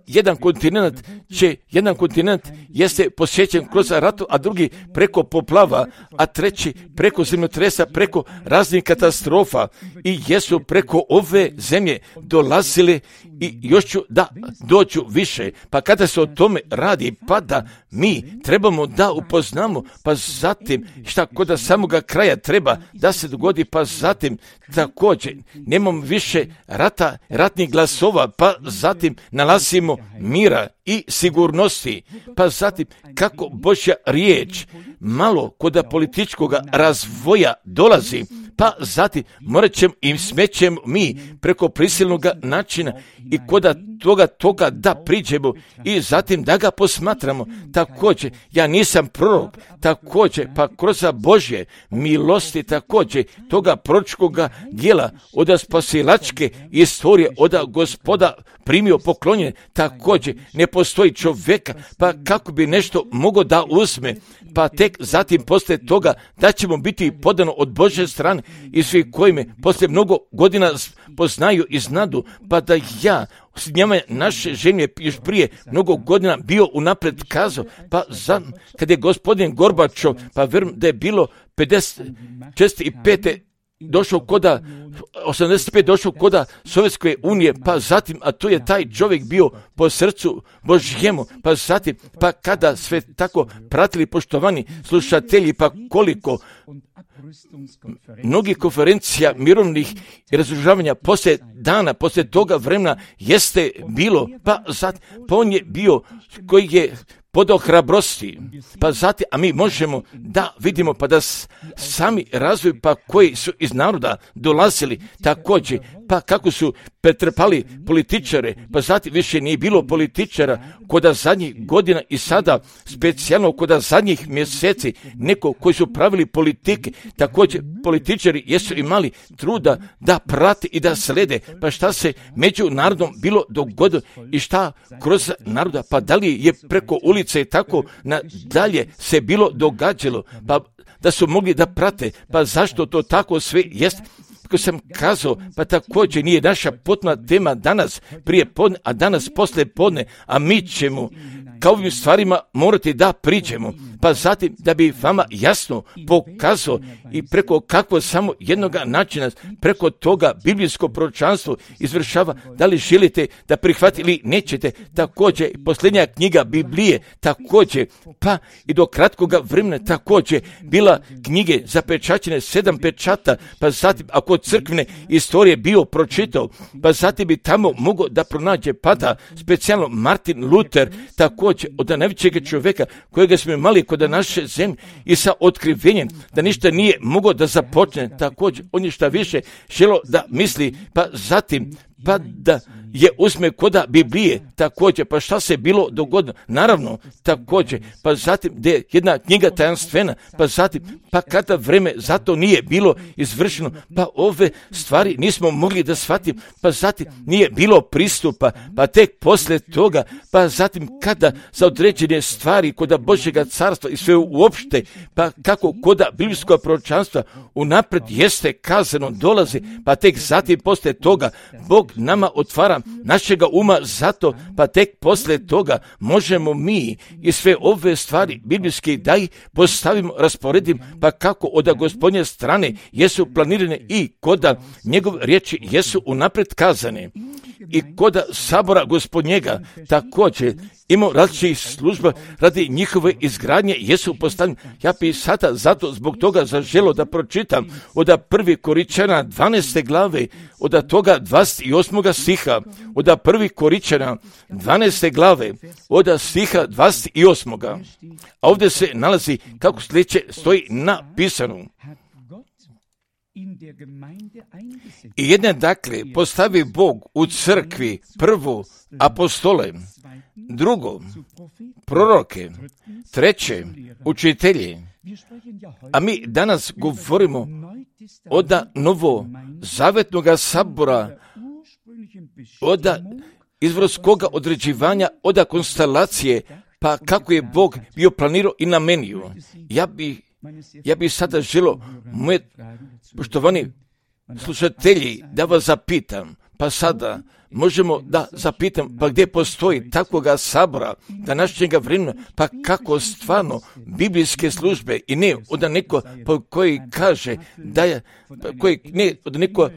S1: Jedan kontinent jeste posjećen kroz ratu, a drugi preko poplava, a treći preko zemljotresa, preko raznih katastrofa i jesu preko ove zemlje dolazile i još ću da dođu više. Pa kada se o tome radi, pa da mi trebamo da upoznamo, pa zatim šta kod samoga kraja treba da se dogodi, pa zatim također nemamo više ratnih glasova, pa zatim nalazimo mira i sigurnosti, pa zatim kako Božja riječ malo kod političkog razvoja dolazi, pa zatim morat ćemo i smećemo mi preko prisilnog načina i kod toga da priđemo i zatim da ga posmatramo. Također, ja nisam prorok, također, pa kroz Božje milosti također toga proročkog djela od spasilačke istorije od Gospoda primio poklonjenje, također ne postoji čovjeka, pa kako bi nešto mogao da uzme, pa tek zatim poslije toga da ćemo biti podano od Božje strane i svi koji me poslije mnogo godina poznaju i znadu, pa da ja s njima naše žemlje još prije mnogo godina bio unaprijed kazao, pa kad je gospodin Gorbačov, pa vjerujem da je bilo 55. došao koda 85 došao koda Sovjetske unije, pa zatim, a to je taj čovjek bio po srcu Božjemu, pa zatim, pa kada sve tako pratili poštovani slušatelji, pa koliko mnogih konferencija mirovnih i razoružavanja poslije toga vremena jeste bilo, pa on je bio koji je podao hrabrosti, pa zatim, a mi možemo da vidimo, pa da sami razvoj, pa koji su iz naroda dolazili također, pa kako su pretrpali političare, pa zatim više nije bilo političara koda zadnjih godina i sada specijalno koda zadnjih mjeseci neko koji su pravili politike, također političari jesu imali truda da prate i da slede, pa šta se među narodom bilo dogodilo i šta kroz naroda, pa da li je preko ulice i tako nadalje se bilo događalo, pa da su mogli da prate, pa zašto to tako sve jest? Kako sam kazao, pa također nije naša potpuna tema danas prije podne, a danas poslije podne, a mi ćemo kao ovim stvarima morati da priđemo, pa zatim da bi vama jasno pokazao i preko kako samo jednog načina, preko toga biblijsko proročanstvo izvršava, da li želite da prihvatite ili nećete, također posljednja knjiga Biblije, također, pa i do kratkoga vremena također bila knjige zapečaćene 7 pečata, pa zatim ako crkvene istorije bio pročitao, pa zatim bi tamo mogao da pronađe, pa da specijalno Martin Luther, također od najvećeg čovjeka kojega smo imali kod naše zemlje i sa otkrivenjem da ništa nije mogao da započne, također on je šta više želo da misli, pa zatim pa da je uzme koda Biblije, također, pa šta se bilo dogodilo, naravno, također, pa zatim da je jedna knjiga tajanstvena, pa zatim, pa kada vreme zato nije bilo izvršeno, pa ove stvari nismo mogli da shvatimo, pa zatim nije bilo pristupa, pa tek poslije toga, pa zatim kada za određene stvari koda Božjega carstva i sve uopšte, pa kako koda biblijskog proročanstva unaprijed jeste kazano dolazi, pa tek zatim poslije toga Bog nama otvara našega uma zato, pa tek poslije toga možemo mi i sve ove stvari biblijske da ih postavimo, rasporedim, pa kako od Gospodnje strane jesu planirane i koda njegove riječi jesu unaprijed kazane. I koda sabora Gospodnjega također imao različitih služba radi njihove izgradnje jesu postavljeni. Ja bi sada zato zbog toga zaželo da pročitam od 1. Koričana 12. glave, od toga 28. stiha, od 1. Koričana 12. glave, od stiha 28. A ovdje se nalazi kako sljedeće stoji napisano. I jedne dakle postavi Bog u crkvi prvo apostole, drugo proroke, treće učitelje. A mi danas govorimo od novo zavetnoga sabora, od izvorskoga određivanja, od konstelacije, pa kako je Bog bio planirao i namenio. Ja bi sada želio, moje poštovani slušatelji, da vas zapitam, pa sada možemo da zapitam, pa gdje postoji takvoga sabora današnjega vremena, pa kako stvarno biblijske službe i ne od neko koji kaže da je,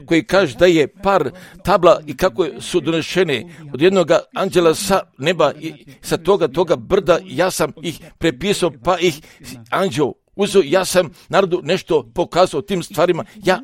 S1: koji kaže da je par tabla i kako su donešene od jednog anđela sa neba i sa toga brda, ja sam ih prepisao, pa ih anđel uzeo, ja sam narodu nešto pokazao tim stvarima, ja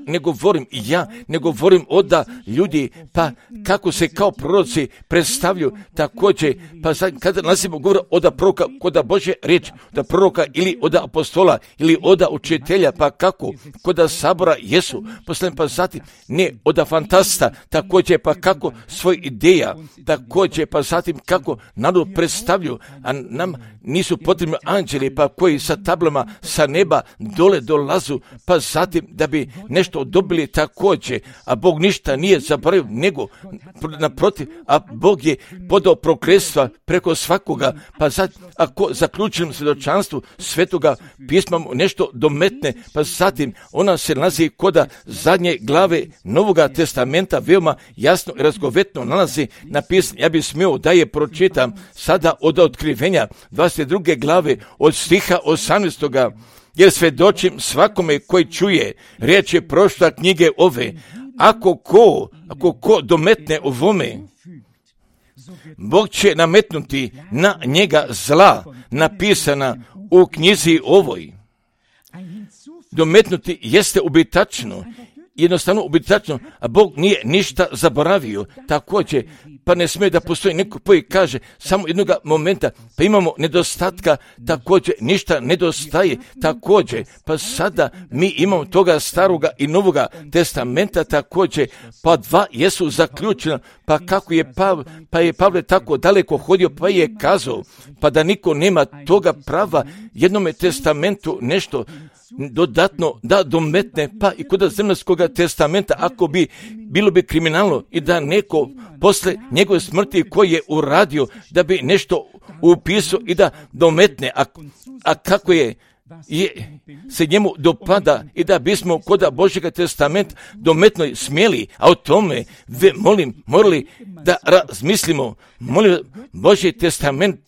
S1: ne govorim od ljudi, pa kako se kao proroci predstavljaju, također, pa sad, kada nasimo govora od proroka, kod Božje riječ, od proroka ili od apostola, ili od učitelja, pa kako, kod sabora jesu, poslani, pa zatim, ne od fantasta, također, pa kako svoj ideja, također, pa zatim, kako narod predstavljaju, a nam nisu potrebni anđeli, pa koji sa tablama, sa neba dole dolazu, pa zatim da bi nešto dobili također, a Bog ništa nije zaboravio, nego naprotiv, a Bog je podao prokletstva preko svakoga, pa zatim, ako zaključenom svjedočanstvu Svetoga pisma nešto dometne, pa zatim ona se nalazi koda zadnje glave Novoga testamenta, veoma jasno i razgovetno nalazi napisano. Ja bih smio da je pročitam sada od otkrivenja 22. glave od stiha 18. Jer svjedočim svakome koji čuje riječi prošla knjige ove, ako ko dometne ovome, Bog će nametnuti na njega zla napisana u knjizi ovoj. Dometnuti jeste ubitačno, jednostavno ubitačno, a Bog nije ništa zaboravio. Također, pa ne smije da postoji neko koji kaže samo jednog momenta, pa imamo nedostatka, također ništa nedostaje, također, pa sada mi imamo toga staroga i novoga testamenta, također, pa dva jesu zaključena, pa kako je Pavle tako daleko hodio, pa je kazao, pa da niko nema toga prava jednome testamentu nešto dodatno da dometne, pa i kod zemaljskog testamenta, ako bi bilo bi kriminalno i da neko posle njegove smrti koji je uradio da bi nešto upisao i da dometne, a kako je se njemu dopada i da bismo kod Božjega testamenta dometno smjeli, a o tome morali da razmislimo. Molim, Božji testament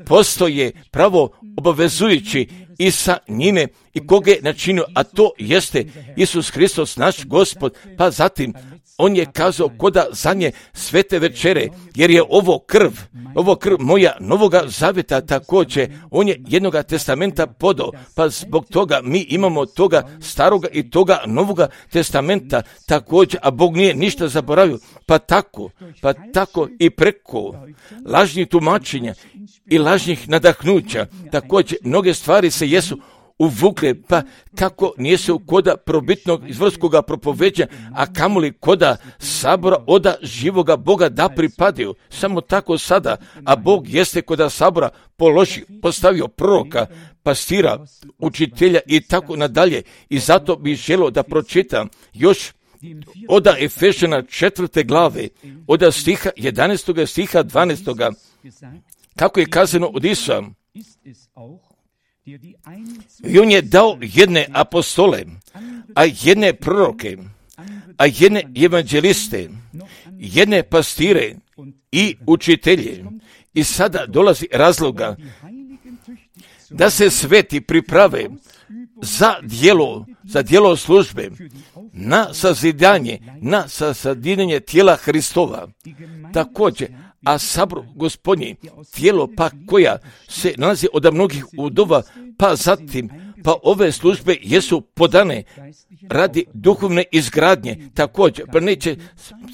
S1: postoje pravo obavezujući i sa njime i koga je načinio, a to jeste Isus Hristos naš Gospod, pa zatim on je kazao koda zadnje svete večere, jer je ovo krv moja novoga zavjeta, također on je jednoga testamenta podao, pa zbog toga mi imamo toga staroga i toga novoga testamenta također, a Bog nije ništa zaboravio, pa tako i preko lažnih tumačenja i lažnih nadahnuća, također mnoge stvari se jesu uvukle, pa kako nijesu koda probitnog izvrskoga propoveđa, a kamoli koda sabora oda živoga Boga da pripadaju. Samo tako sada, a Bog jeste koda sabora postavio proroka, pastira, učitelja i tako nadalje. I zato bih želio da pročitam još oda Efežana 4. glave, oda stiha 11. stiha 12. Kako je kazano od Isusa. I on je dao jedne apostole, a jedne proroke, a jedne evanđeliste, jedne pastire i učitelje. I sada dolazi razloga da se sveti priprave za djelo službe, na sazidanje tijela Hristova. Također, a sabor Gospodnji, tijelo pa koja se nalazi od mnogih udova, pa zatim, pa ove službe jesu podane radi duhovne izgradnje. Također, pa neće,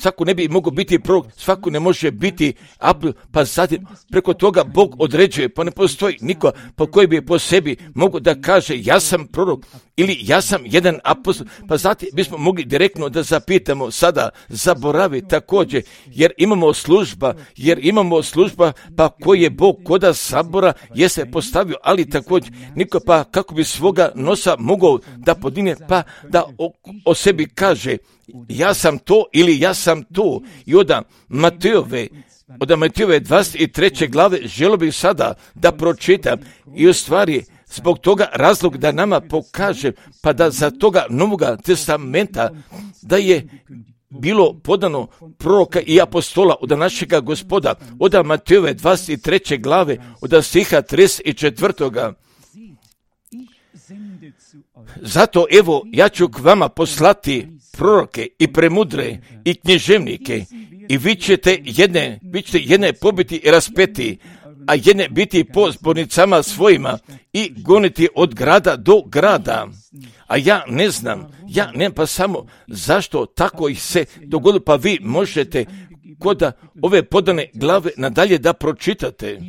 S1: svako ne bi mogao biti prorok, svako ne može biti apel, pa zatim preko toga Bog određuje, pa ne postoji niko po koji bi po sebi mogao da kaže ja sam prorok ili ja sam jedan apostol, pa zatim bismo mogli direktno da zapitamo sada, zaboravi također, jer imamo služba, pa koji je Bog koda sabora jeste postavio, ali također niko pa kako bi svoga nosa mogao da podigne, pa da o sebi kaže ja sam to ili ja sam to. I od Matejove 23. glave želio bih sada da pročitam i u stvari zbog toga razlog da nama pokaže, pa da za toga Novoga testamenta da je bilo podano proroka i apostola od našega Gospoda, od Matejove 23. glave, od stiha 34. Zato evo ja ću k vama poslati proroke i premudre i književnike i vi ćete jedne pobiti i raspeti, a jedne biti po zbornicama svojima i goniti od grada do grada. A ja ne znam pa samo zašto tako ih se dogodilo, pa vi možete kod ove podane glave nadalje da pročitate.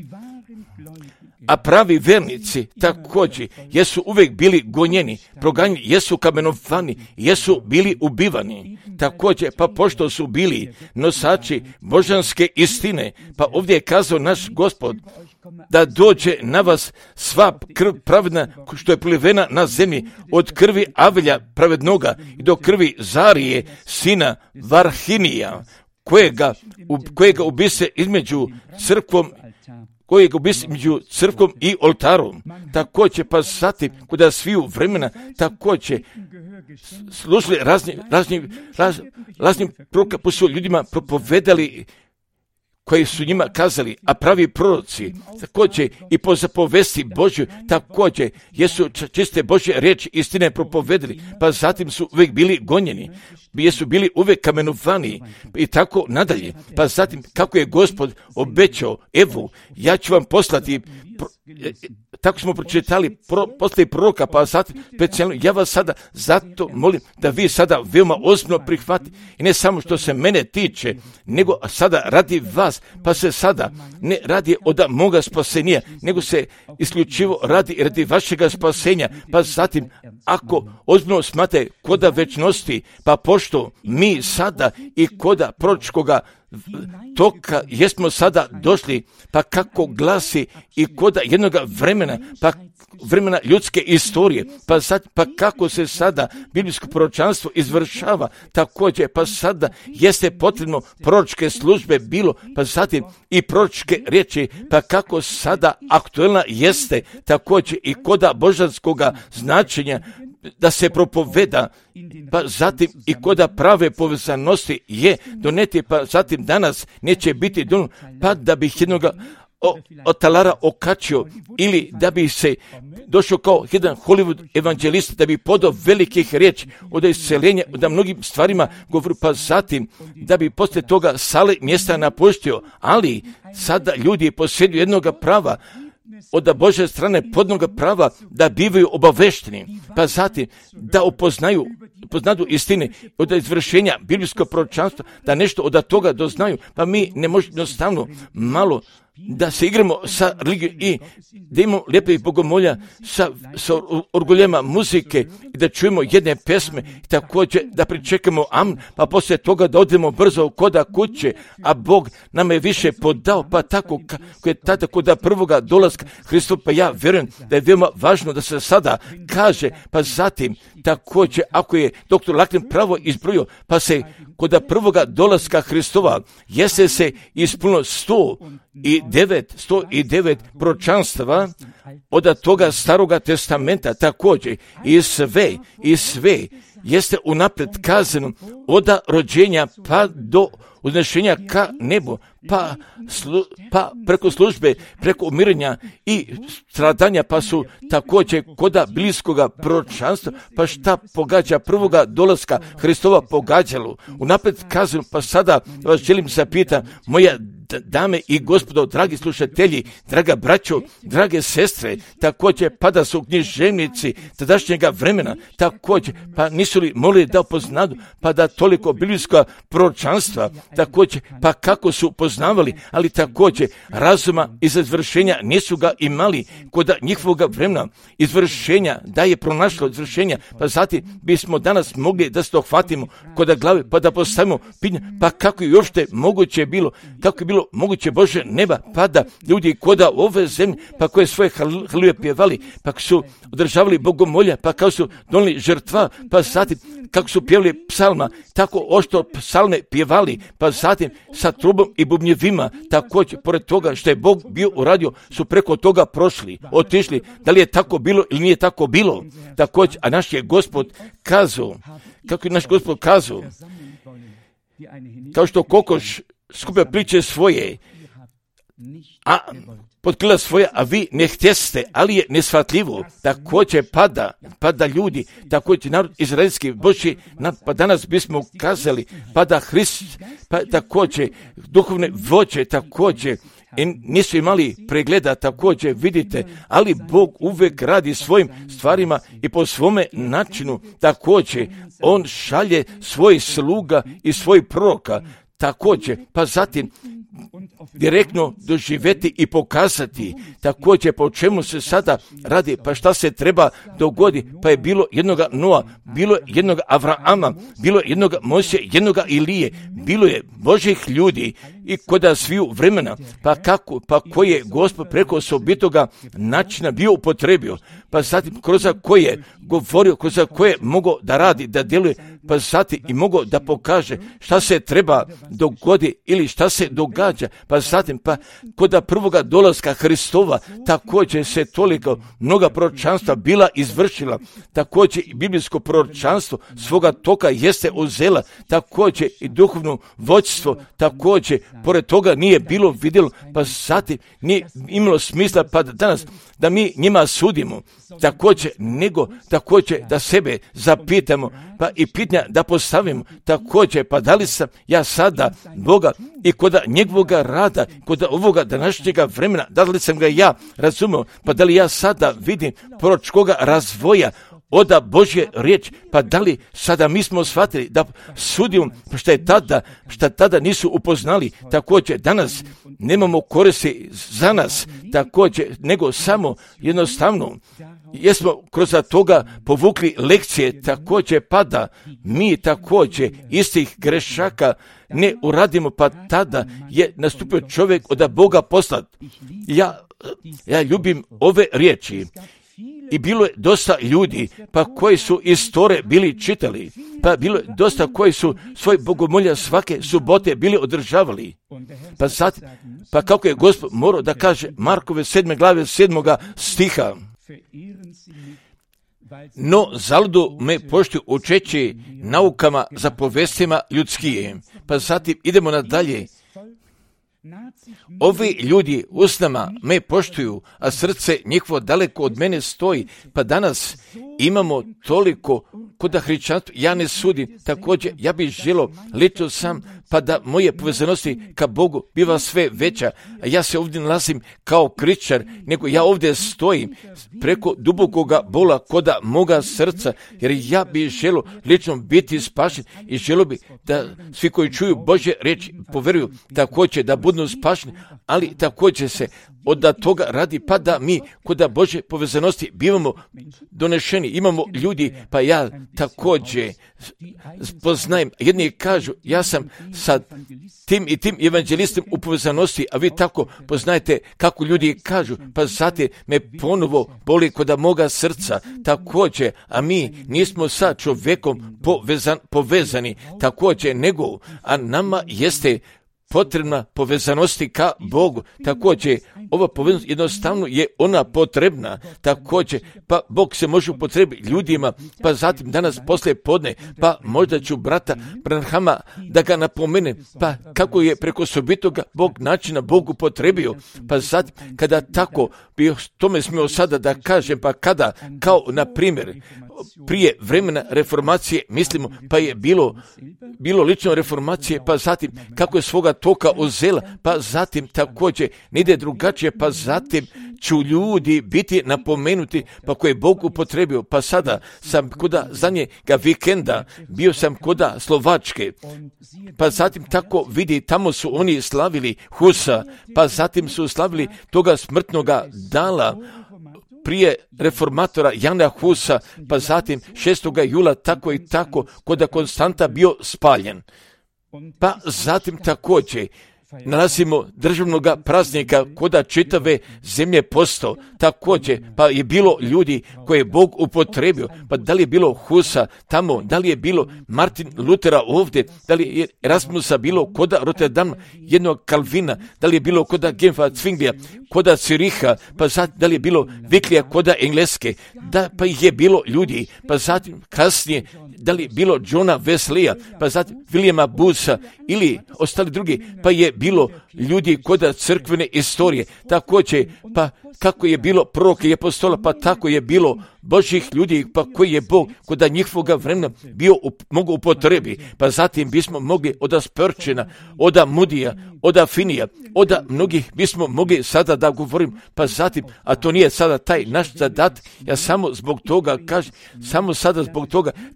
S1: A pravi vernici također jesu uvijek bili gonjeni, proganjeni, jesu kamenovani, jesu bili ubivani. Također, pa pošto su bili nosači božanske istine, pa ovdje je kazao naš Gospod da dođe na vas sva krv pravedna što je prolivena na zemlji, od krvi Avelja pravednoga i do krvi Zarije, sina Varhinija, kojega ubise između crkvom i oltarom. Također, pa zatim, kuda sviju vremena, također, slušali razni proroka, pa su ljudima propovedali, koji su njima kazali, a pravi proroci, također i po zapovesti Božju, također jesu čiste Božje riječi istine propovedali, pa zatim su uvijek bili gonjeni, jesu bili uvijek kamenovani i tako nadalje. Pa zatim, kako je Gospod obećao, evo, ja ću vam poslati, tako smo pročitali, poslati proroka, pa zatim specijalno, ja vas sada zato molim da vi sada veoma ozbiljno prihvatite, i ne samo što se mene tiče, nego sada radi vas, pa se sada ne radi od moga spasenja, nego se isključivo radi vašega spasenja, pa zatim, ako ozbiljno smate koda večnosti, pa pošto mi sada i koda proročkoga toka jesmo sada došli, pa kako glasi i koda jednoga vremena, pa vremena ljudske istorije, pa kako se sada biblijsko proročanstvo izvršava, također, pa sada jeste potrebno proročke službe bilo, pa zatim i proročke riječi, pa kako sada aktuelna jeste također i koda božanskoga značenja, da se propoveda, pa zatim i koda prave povezanosti je doneti, pa zatim danas neće biti don, pa da bih jednoga od talara okačio, ili da bi se došao kao jedan Hollywood evanđelist, da bi podao velikih riječi od isceljenja, da mnogim stvarima govori, pa zatim da bi poslije toga sale mjesta napuštio, ali sada ljudi posjeduju jednoga prava, od Božje strane podnoga prava, da bivaju obavešteni, pa zatim da upoznaju istine od izvršenja biblijskog proročanstva, da nešto od toga doznaju, pa mi ne možemo jednostavno malo da se igramo sa religijom i da imamo lijepih bogomolja sa orguljema muzike i da čujemo jedne pesme i također da pričekamo amen, pa poslije toga da odemo brzo koda kuće, a Bog nam je više podao, pa tako kako je tada koda prvoga dolaska Hristova, pa ja vjerujem da je veoma važno da se sada kaže, pa zatim također ako je doktor Laklin pravo izbrojio, pa se koda prvoga dolaska Hristova jeste se ispunilo 109 proročanstava od toga staroga testamenta također i sve jeste unaprijed kazano od rođenja pa do uznešenja ka nebu, pa preko službe, preko umirenja i stradanja, pa su također koda bliskoga proročanstva, pa šta pogađa prvoga dolaska Hristova pogađalo. Unaprijed kazano, pa sada vas želim zapitati, moja dame i gospodo, dragi slušatelji, draga braćo, drage sestre, također pa da su književnici tadašnjega vremena, također pa nisu li mogli da upoznadu, pa da toliko biblijska proročanstva, također pa kako su poznavali, ali također razuma iz izvršenja nisu ga imali kod njihovoga vremena, izvršenja, da je pronašlo izvršenja, pa zatim bismo danas mogli da se dohvatimo kod glave, pa da postavimo pitanje, pa kako je uopšte moguće bilo, kako je bilo moguće Bože neba, pa da ljudi koda ove zemlje, pa koje svoje haluje pjevali, pa su održavali bogomolja, pa kako su donijeli žrtva, pa zatim kako su pjevali psalma, tako ošto psalme pjevali, pa zatim sa trubom i bubnjevima, također, pored toga što je Bog bio uradio, su preko toga prošli, otišli, da li je tako bilo ili nije tako bilo, također, a naš je Gospod kazao, kako je naš Gospod kazao, kao što kokoš skuplja priče svoje, a potkrila svoje, a vi ne htjeste, ali je neshvatljivo. Također pada ljudi, također narod izraelski Božji, pa danas bismo kazali, pada Hrist, pa također duhovne vođe, također i nisu imali pregleda, također vidite, ali Bog uvijek radi svojim stvarima i po svome načinu, također on šalje svojih sluga i svojih proroka, također, pa zatim direktno doživjeti i pokazati također po čemu se sada radi, pa šta se treba dogodi, pa je bilo jednoga Noa, bilo jednoga Avrama, bilo jednoga Mojsija, jednoga Ilije, bilo je Božih ljudi i koda sviju vremena, pa kako, pa koji je Gospod preko osobitoga načina bio upotrebio, pa zatim kroz koje govorio, kroz koje mogao da radi, da djeluje, pa zatim i mogao da pokaže šta se treba dogodi ili šta se događa, pa zatim pa koda prvoga dolaska Hristova također se toliko mnoga proročanstva bila izvršila, također i biblijsko proročanstvo svoga toka jeste uzela, također i duhovno vođstvo, također pored toga nije bilo vidjelo, pa zatim nije imalo smisla pa danas da mi njima sudimo, također nego također da sebe zapitamo, pa i pitanja da postavimo, također pa da li sam ja sada Boga i kod njegovoga rada, kod ovoga današnjega vremena, da li sam ga ja razumio, pa da li ja sada vidim proročkoga razvoja oda Božje riječ, pa da li sada mi smo shvatili da sudimo šta tada nisu upoznali, također danas nemamo koristi za nas, također nego samo jednostavno jesmo kroz toga povukli lekcije, također pada mi također istih grešaka ne uradimo, pa tada je nastupio čovjek od Boga poslat. Ja ljubim ove riječi. I bilo je dosta ljudi, pa koji su iz Tore bili čitali, pa bilo je dosta koji su svoj bogomolja svake subote bili održavali. Pa kako je Gospod morao da kaže Markove 7. glave 7. stiha. No, zaludu me poštuju učeći naukama za povestima ljudskije. Pa zatim idemo nadalje. Ovi ljudi usnama me poštuju, a srce njihovo daleko od mene stoji, pa danas imamo toliko koda hrišćanstva ja ne sudim, također ja bih želio lično sam, pa da moje povezanosti ka Bogu biva sve veća, a ja se ovdje nalazim kao kričar, nego ja ovdje stojim preko dubokoga bola koda moga srca, jer ja bih želio lično biti spašen i želio bih da svi koji čuju Božje riječi poveruju također da budu spašeni, ali također se od toga radi, pa da mi kod Božje povezanosti bivamo donešeni. Imamo ljudi, pa ja također poznajem, jedni kažu ja sam sa tim i tim evanđelistom u povezanosti, a vi tako poznajete kako ljudi kažu, pa zato me ponovo boli kod moga srca također, a mi nismo sa čovjekom povezani također, nego, a nama jeste potrebna povezanosti ka Bogu. Također, ova povezanost jednostavno je ona potrebna. Također, pa Bog se može upotrebiti ljudima, pa zatim danas poslije podne, pa možda ću brata Branhama da ga napomene, pa kako je preko sobitoga Bog načina Bog upotrebio, pa zatim kada tako bi tome smio sada da kažem, pa kada, kao na primjer, prije vremena reformacije, mislimo, pa je bilo lično reformacije, pa zatim kako je svoga toka uzela, pa zatim također ne ide drugačije, pa zatim ću ljudi biti napomenuti, pa koje je Bog upotrebio. Pa sada sam koda zadnjega vikenda, bio sam koda Slovačke, pa zatim tako vidi, tamo su oni slavili Husa, pa zatim su slavili toga smrtnoga dala prije reformatora Jana Husa, pa zatim 6. jula tako i tako, koda Konstanta bio spaljen. Pa zatim također nalazimo državnog praznika koda čitave zemlje postao. Također, pa je bilo ljudi koje je Bog upotrebio, pa da li je bilo Husa tamo, da li je bilo Martin Lutera ovdje, da li je Erasmusa bilo koda Rotterdam, jednog Kalvina, da li je bilo koda Genfa Zwinglija, koda Züricha, pa zatim da li je bilo Viklija koda Engleske, da pa je bilo ljudi, pa zatim kasnije da li je bilo Johna Wesleya, pa zatim Williama Bootha ili ostali drugi, pa je bilo ljudi koda crkvene istorije, također, pa kako je bilo proroka i apostola, pa tako je bilo Božih ljudi, pa koji je Bog koda njihovoga vremena bio mogu upotrebi, pa zatim bismo mogli od Spurgeona, od Mudija, od Finija, od mnogih bismo mogli sada da govorim, pa zatim, a to nije sada taj naš zadat, ja samo zbog toga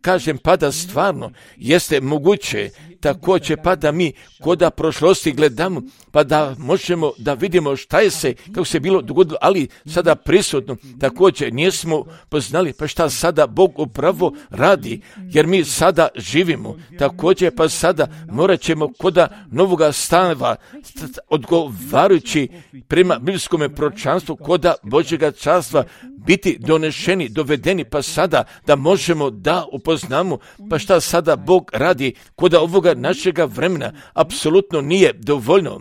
S1: kažem, pa da stvarno jeste moguće, također pa da mi koda prošlosti gledamo, pa da možemo da vidimo šta je se, kako se bilo dogodilo, ali sada prisutno, također nismo poznali, pa šta sada Bog upravo radi, jer mi sada živimo, također pa sada morat ćemo koda novoga stanova, odgovarajući prema biblijskom proročanstvu koda Božjega carstva biti donešeni, dovedeni, pa sada da možemo da upoznamo, pa šta sada Bog radi koda ovoga našega vremena, apsolutno nije dovoljno.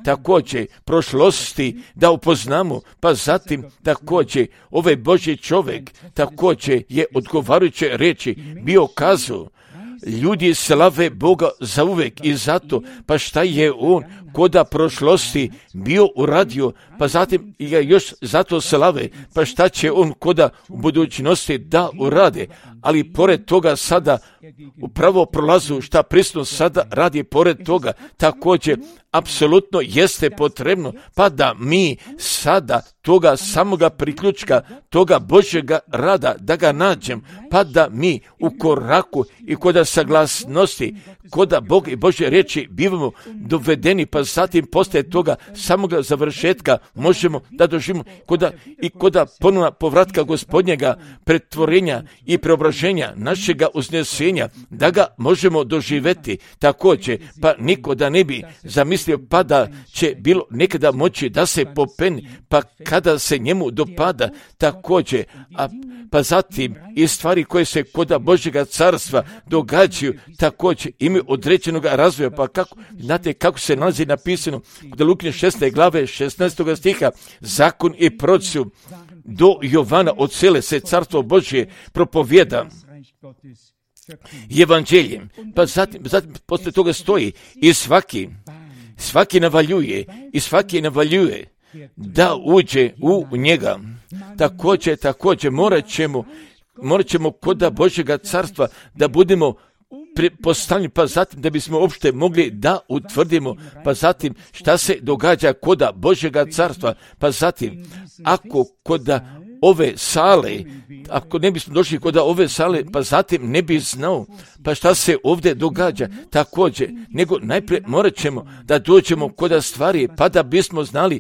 S1: Također prošlosti da upoznamo, pa zatim također ovaj Božji čovjek također je odgovarajuće reći bio kazao, ljudi slave Boga za uvek i zato, pa šta je on koda prošlosti bio uradio, pa zatim ga još zato slave, pa šta će on koda u budućnosti da urade, ali pored toga sada upravo prolazu šta prisutno sada radi pored toga, također apsolutno jeste potrebno, pa da mi sada toga samoga priključka, toga Božjega rada, da ga nađem, pa da mi u koraku i koda saglasnosti, koda Bog i Božje riječi bivamo dovedeni, pa zatim poslije toga samoga završetka možemo da doživimo koda ponovna povratka Gospodnjega, pretvorenja i preobraženja našega uznesenja, da ga možemo doživjeti također, pa niko da ne bi zamislio pa da će bilo nekada moći da se popeni, pa kada se njemu dopada također, pa zatim i stvari koje se koda Božjega carstva događaju također imaju određenog razvoja, pa kako, znate kako se nalazi napisano kod Lukine 6. glave 16. stiha, zakon i proroci do Jovana od cele se carstvo Božje propovjeda evanđeljem, pa zatim posle toga stoji i svaki navaljuje da uđe u njega. Također morat ćemo morat ćemo koda Božjega carstva da budemo postavljeni, pa zatim da bismo uopšte mogli da utvrdimo, pa zatim šta se događa koda Božjega carstva, pa zatim ako koda ove sale, ako ne bismo došli koda ove sale, pa zatim ne bi znao pa šta se ovdje događa također, nego najprije morat ćemo da dođemo koda stvari, pa da bismo znali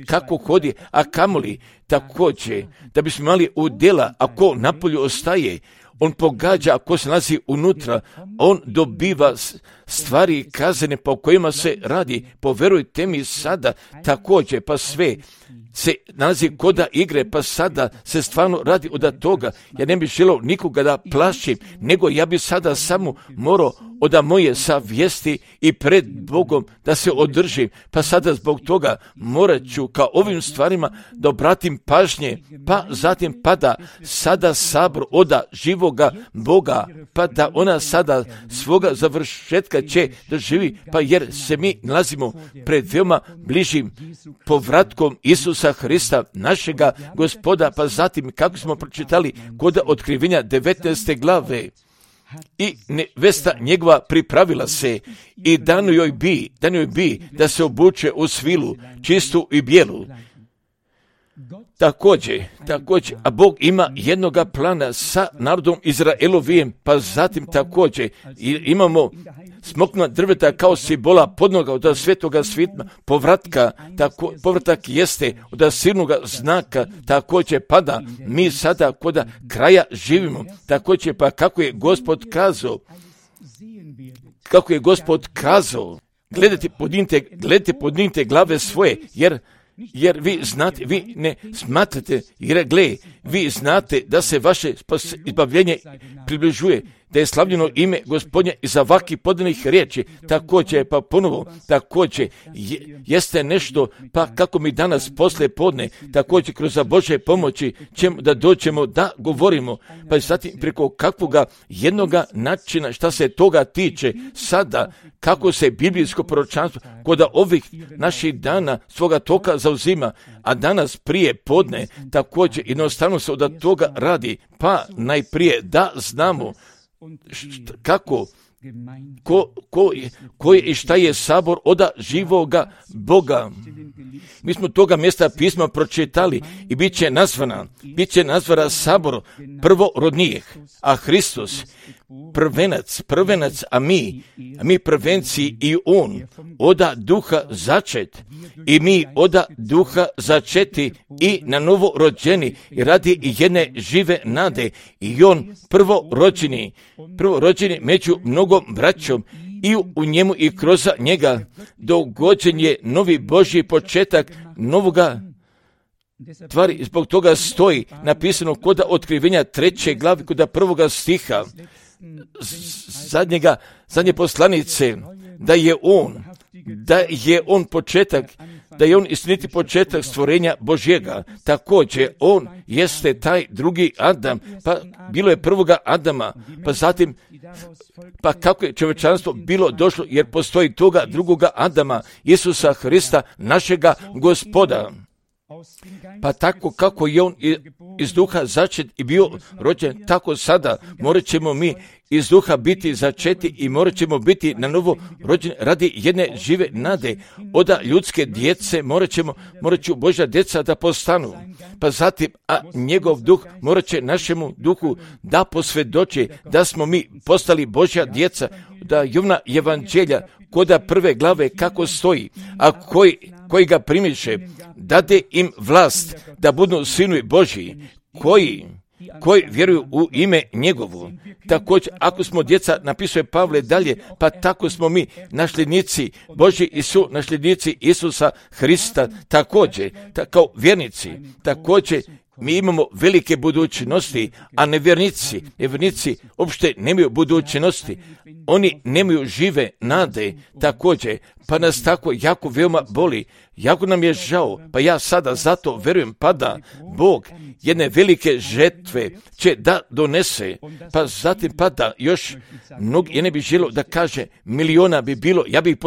S1: kako hodi, a kamoli također, da bismo imali udjela, ako napolju ostaje, on pogađa, ako se nalazi unutra, on dobiva stvari kazane po kojima se radi. Poverujte mi sada također, pa sve se nalazi koda igre, pa sada se stvarno radi od toga. Ja ne bih želio nikoga da plašim, nego ja bi sada samo morao od moje savjesti i pred Bogom da se održim, pa sada zbog toga morat ću kao ovim stvarima da obratim pažnje, pa zatim pada sada sabor od živoga Boga, pa da ona sada svoga završetka će doživi, pa jer se mi nalazimo pred veoma bližim povratkom Isusa Hrista, našega Gospoda, pa zatim kako smo pročitali kod Otkrivenja 19. glave. I nevesta njegova pripravila se i dano joj bi da se obuče u svilu, čistu i bijelu. Također, a Bog ima jednoga plana sa narodom Izraelovijem, pa zatim također imamo smokna drveta kao simbola podnoga od svetoga svitma, povratak jeste od silnoga znaka, također pada, mi sada kod kraja živimo, također pa kako je Gospod kazao, gledajte, podignite glave svoje, jer vi znate, vi ne smatrate, jer vi znate da se vaše izbavljenje približuje, da je slavljeno ime Gospodnje iz ovakvih podanih riječi, također pa ponovo, također jeste nešto, pa kako mi danas poslije podne, također kroz Božje pomoći ćemo da dođemo da govorimo, pa zatim preko kakvoga jednoga načina šta se toga tiče sada, kako se biblijsko proročanstvo kod ovih naših dana svoga toka zauzima, a danas prije podne također jednostavno se od toga radi, pa najprije da znamo kako, ko je i šta je sabor od živoga Boga. Mi smo toga mjesta pisma pročitali i bit će nazvana sabor prvorodnijih, a Hristos prvenac, a mi prvenci i on oda duha začet i mi oda duha začeti i na novo rođeni i radi jedne žive nade i on prvorođeni među mnogom braćom i u njemu i kroz njega dogođen je novi Božji početak novoga tvari. Zbog toga stoji napisano kod Otkrivenja 3. glavi kod 1. stiha zadnje poslanice, da je on početak, da je on istiniti početak stvorenja Božjega. Također, on jeste taj drugi Adam, pa bilo je prvoga Adama, pa zatim, pa kako je čovječanstvo bilo došlo, jer postoji toga drugoga Adama, Isusa Hrista, našega Gospoda. Pa tako kako je on iz duha začet i bio rođen, tako sada morat ćemo mi iz duha biti začeti i morat ćemo biti na novo rođeni radi jedne žive nade. Od ljudske djece morat ću Božja djeca da postanu. Pa zatim, a njegov duh morat će našemu duhu da posvjedoči da smo mi postali Božja djeca, da Jovna evanđelja koda 1. glave kako stoji, a koji ga primiše, dade im vlast da budu sinovi Božji, koji vjeruju u ime njegovu. Također, ako smo djeca, napisuje Pavle dalje, pa tako smo mi nasljednici Božji i su nasljednici Isusa Hrista, također, kao vjernici, također mi imamo velike budućnosti, a nevjernici uopšte nemaju budućnosti, oni nemaju žive nade, također, pa nas tako jako veoma boli, jako nam je žao, pa ja sada zato verujem pa da Bog jedne velike žetve će da donese, pa zatim pa da još ja ne bih želio da kaže miliona bi bilo, ja bih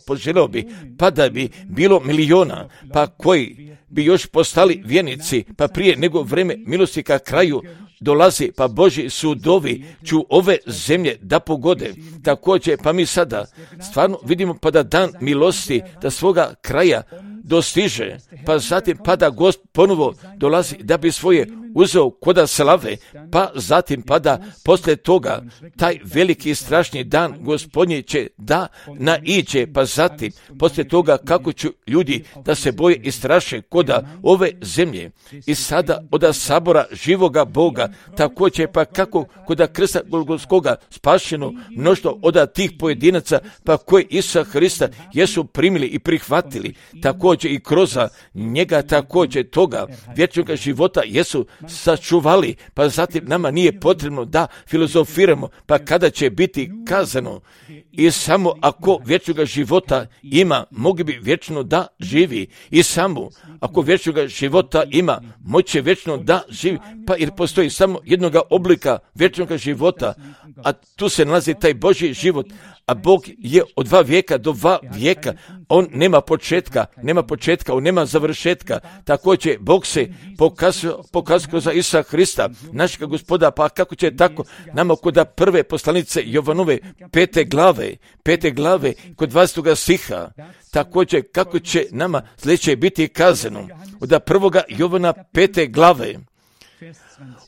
S1: poželio bi pa da bi bilo miliona, pa koji bi još postali vjernici, pa prije nego vreme milosti ka kraju dolazi, pa Božji sudovi će ove zemlje da pogode. Također, pa mi sada stvarno vidimo pa da dan milosti da svoga kraja dostiže, pa zatim pa da Gost ponovo dolazi da bi svoje uzeo koda slave, pa zatim pa da poslije toga taj veliki i strašni dan Gospodnji će da naiđe, pa zatim poslije toga kako će ljudi da se boje i straše koda ove zemlje i sada od sabora živoga Boga, također pa kako koda krsta Golgotskoga spašeno mnoštvo od tih pojedinaca pa koji Isusa Hrista jesu primili i prihvatili, također i kroz njega također toga vječnog života jesu sačuvali, pa zatim nama nije potrebno da filozofiramo, pa kada će biti kazano i samo ako vječnog života ima, mogli bi vječno da živi i samo ako vječnog života ima, moće vječno da živi, pa jer postoji samo jednoga oblika vječnog života, a tu se nalazi taj Božji život, a Bog je od 2 vijeka do 2 vijeka, on nema početka, on nema završetka, također Bog se pokazao za Isusa Hrista, našega Gospoda, pa kako će tako nama kod prve poslanice Jovanove 5. glave, kod 20. stiha, također kako će nama sljedeće biti kazano, od 1. Jovana 5. glave,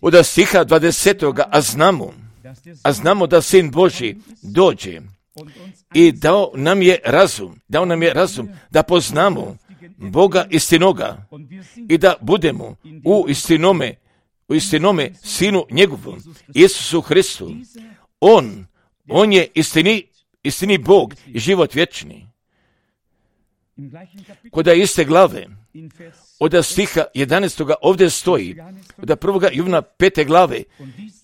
S1: od stiha 20. a znamo da Sin Božji dođe i dao nam je razum da poznamo Boga istinoga i da budemo u istinome Sinu njegovom, Isusu Hristu. On je istini Bog i život vječni. Kod iste glave, od stiha 11. ovdje stoji, od 1. Jovana 5. glave,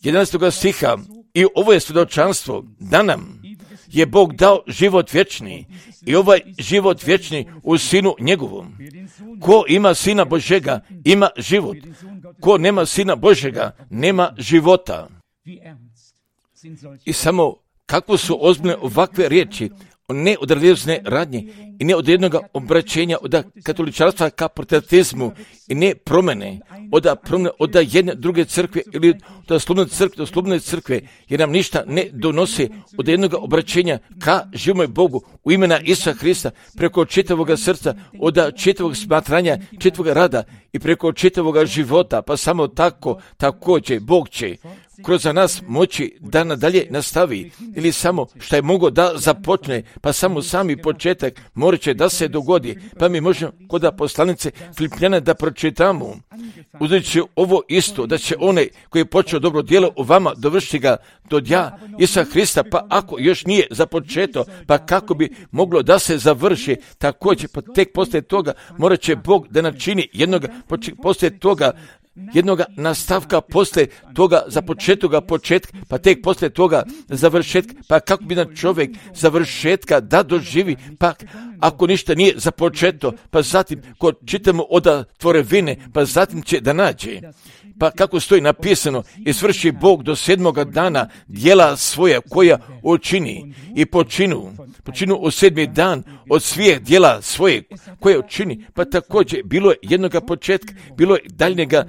S1: 11. stiha, i ovo je svjedočanstvo da nam je Bog dao život vječni i ovaj život vječni u Sinu njegovom. Ko ima Sina Božega, ima život. Ko nema Sina Božega, nema života. I samo kako su ozbiljne ovakve riječi, ne od religiozne radnje i ne od jednog obraćenja od katoličarstva ka protestantizmu i ne promjene od jedne druge crkve ili od slobodne crkve, jer nam ništa ne donosi od jednog obraćenja ka živome Bogu u imena Isusa Hrista preko čitavoga srca, od čitavog smatranja, čitavog rada i preko čitavoga života, pa samo također Bog će kroz nas moći da nadalje nastavi ili samo što je mogao da započne, pa samo sami početak morat će da se dogodi, pa mi možemo kod poslanice Filipljana da pročitamo, uzeti ovo isto, da će onaj koji je počeo dobro djelo u vama dovršiti ga do dja Isusa Hrista, pa ako još nije započeto, pa kako bi moglo da se završi, također pa tek poslije toga morat će Bog da načini poslije toga jednoga nastavka, poslije toga započetoga početka, pa tek poslije toga završetka, pa kako bi na čovjek završetka da doživi, pa ako ništa nije započeto, pa zatim ko čitamo od tvorevine, pa zatim će da nađe. Pa kako stoji napisano, i svrši Bog do 7. dana djela svoja koja učini i počinu u 7. dan od svih djela svoje koje učini, pa također bilo je jednoga početka, bilo je daljnjega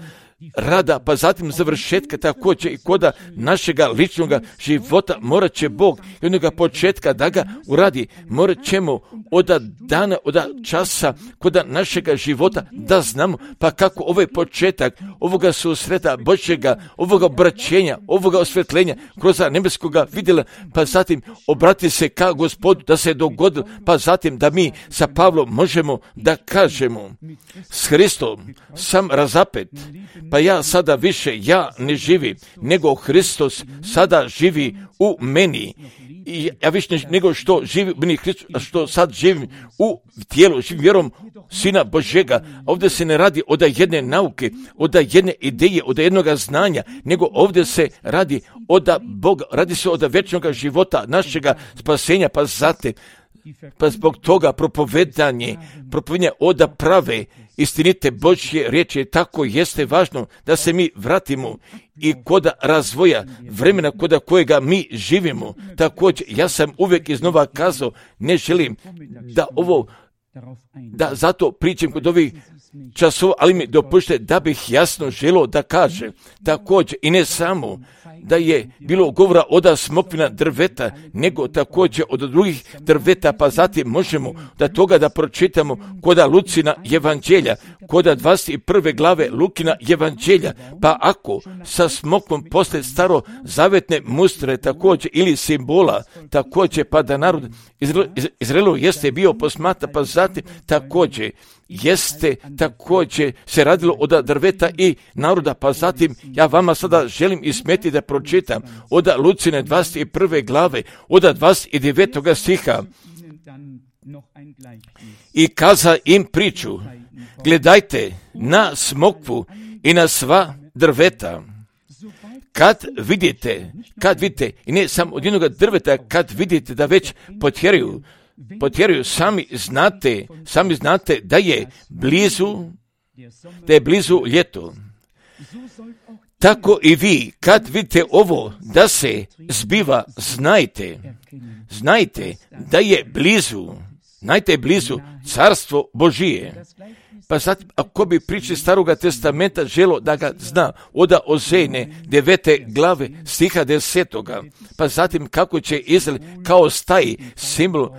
S1: rada, pa zatim završetka, također i koda našega ličnog života morat će Bog jednoga početka da ga uradi, morat ćemo od dana, od časa koda našega života da znamo, pa kako ovaj početak ovoga susreta Božjega, ovoga obraćenja, ovoga osvjetljenja kroz nebeskoga vidjela, pa zatim obrati se ka Gospodu da se dogodilo, pa zatim da mi sa Pavlom možemo da kažemo s Hristom sam razapet, pa ja sada više ja ne živim, nego Hristos sada živi u meni. I ja više nego što živi u meni Hristos, a što sad živim u tijelu, živim vjerom Sina Božega. Ovdje se ne radi od jedne nauke, od jedne ideje, od jednog znanja, nego ovdje se radi od Boga, radi se od vječnog života, našega spasenja, pa zatim Pa zbog toga propovedanje oda prave istinite Božje riječi, tako jeste važno da se mi vratimo i koda razvoja vremena koda kojega mi živimo. Također, ja sam uvijek iznova kazao, ne želim da zato pričam kod ovih časova, ali mi dopušte da bih jasno želio da kažem. Također, i ne samo da je bilo govora od smokvina drveta, nego također od drugih drveta, pa zatim možemo da toga da pročitamo koda Lucina evanđelja, koda 21. glave Lukina evanđelja, pa ako sa smokvom posle starozavetne mustre također ili simbola, također pa da narod Izraelu jeste bio posmatra, pa zatim također jeste također se radilo od drveta i naroda, pa zatim ja vama sada želim ismeti da pročitam od Lucine 21. glave, od 29. stiha. I kaza im priču, gledajte na smokvu i na sva drveta. Kad vidite, i ne samo od jednog drveta, kad vidite da već potjeruju, sami znate da je blizu ljeto. Tako i vi, kad vidite ovo da se zbiva, znajte da je blizu carstvo Božije. Pa sad, ako bi pričali Staroga testamenta želo da ga zna, oda Ozejne 9. glave stiha 10. Pa zatim kako će Izrael kao staji simbol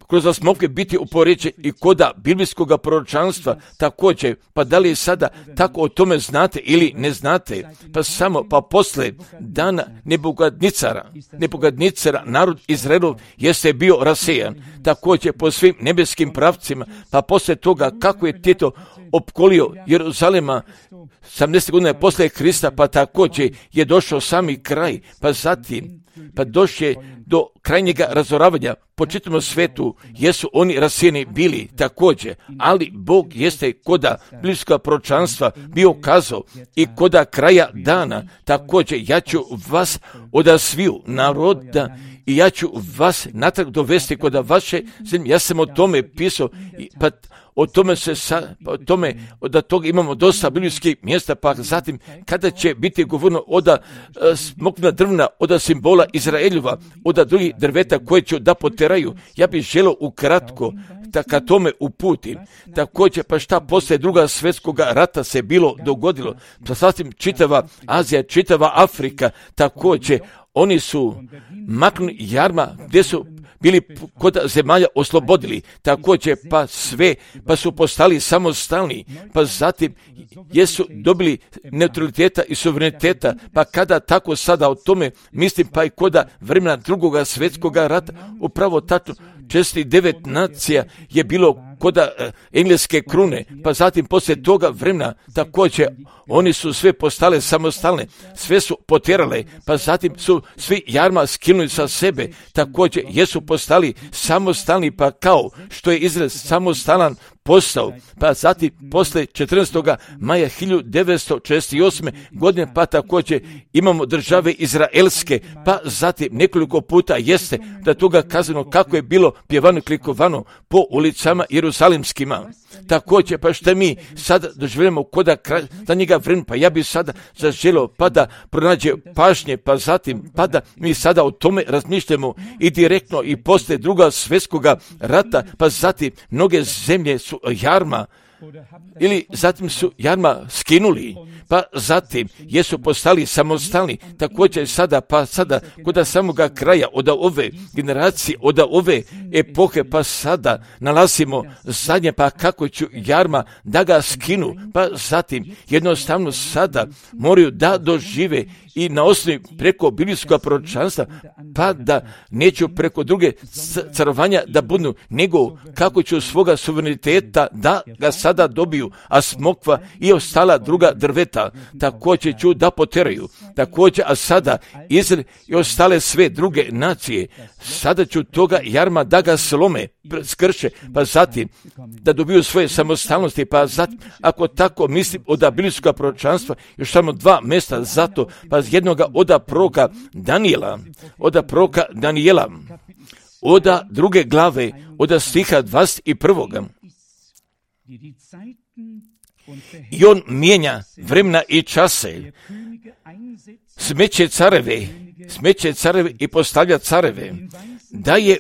S1: kroz smokve biti upoređen i koda biblijskog proročanstva također, pa da li sada tako o tome znate ili ne znate, pa posle dana Nebukadnicera narod Izraelov jeste bio rasejan, također po svim nebeskim pravcima, pa posle toga kako je Tito opkolio Jeruzalema 70 godina posle Krista, pa također je došao sami kraj, pa zatim došlo do krajnjega razoravanja po čitavom svetu, jesu oni rasijeni bili također, ali Bog jeste koda biblijskog proročanstva bio kazao i koda kraja dana, također ja ću vas od sviju naroda i ja ću vas natrag dovesti koda vaše zemlje. Ja sam o tome pisao, pa o tome od toga imamo dosta biblijskih mjesta, pa zatim kada će biti govorno od smokvina drvna, od simbola Izraeljova, od drugih drveta koje će da poteraju, ja bih želio ukratko da ka tome uputim. Također, pa šta posle Drugog svjetskog rata se bilo dogodilo, pa zatim čitava Azija, čitava Afrika, također oni su maknuli jarma gdje su bili kod zemalja oslobodili, također pa su postali samostalni, pa zatim jesu dobili neutraliteta i suvereniteta, pa kada tako sada o tome mislim, pa i koda vremena Drugog svjetskog rata, upravo tačno 49 nacija je bilo koda engleske krune, pa zatim poslije toga vremena također oni su sve postale samostalne, sve su potjerale, pa zatim su svi jarma skinuli sa sebe, također jesu postali samostalni, pa kao što je Izrael samostalan postao, pa zatim posle 14. maja 1948. godine, pa također imamo države izraelske, pa zatim nekoliko puta jeste da toga kazano kako je bilo pjevano i klikovano po ulicama jerusalimskima. Također, pa što mi sada doživljamo koda za njega vremena, pa ja bi sada zaželio pa da pronađe pažnje, pa zatim pa da mi sada o tome razmišljamo i direktno i poslije Drugog svjetskog rata, pa zatim mnoge zemlje su jarma ili zatim su jarma skinuli, pa zatim jesu postali samostalni, također sada kod samoga kraja od ove generacije, od ove epohe, pa sada nalazimo zadnje, pa kako ću jarma da ga skinu, pa zatim jednostavno sada moraju da dožive i na osnovi preko biblijskog proročanstva, pa da neću preko druge carovanja da budu, nego kako ću svoga suvereniteta da ga sada dobiju, a smokva i ostala druga drveta također ću da poteraju, također, a sada Izrael i ostale sve druge nacije, sada ću toga jarma da ga slome, skrše, pa zatim da dobiju svoje samostalnosti, pa zatim, ako tako mislim od biblijskog proročanstva, još samo 2 mjesta zato, pa jednoga od proroka Danijela, od 2. glave, od stiha 21. I on mijenja vremena i čase, smeće careve i postavlja careve, daje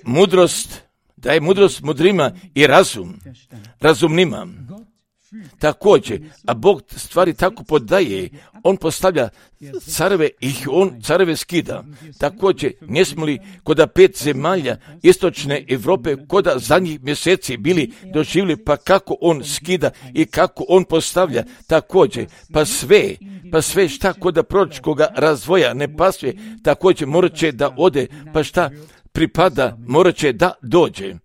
S1: mudrost mudrima i razum razumnima. Također, a Bog stvari tako podaje, on postavlja careve i on careve skida. Također, ne smo li kod 5 zemalja istočne Europe kod zadnjih mjeseci bili doživjeli pa kako on skida i kako on postavlja. Također, pa sve šta kod proročkoga razvoja ne pasuje, također morat će da ode, pa šta pripada morat će da dođe.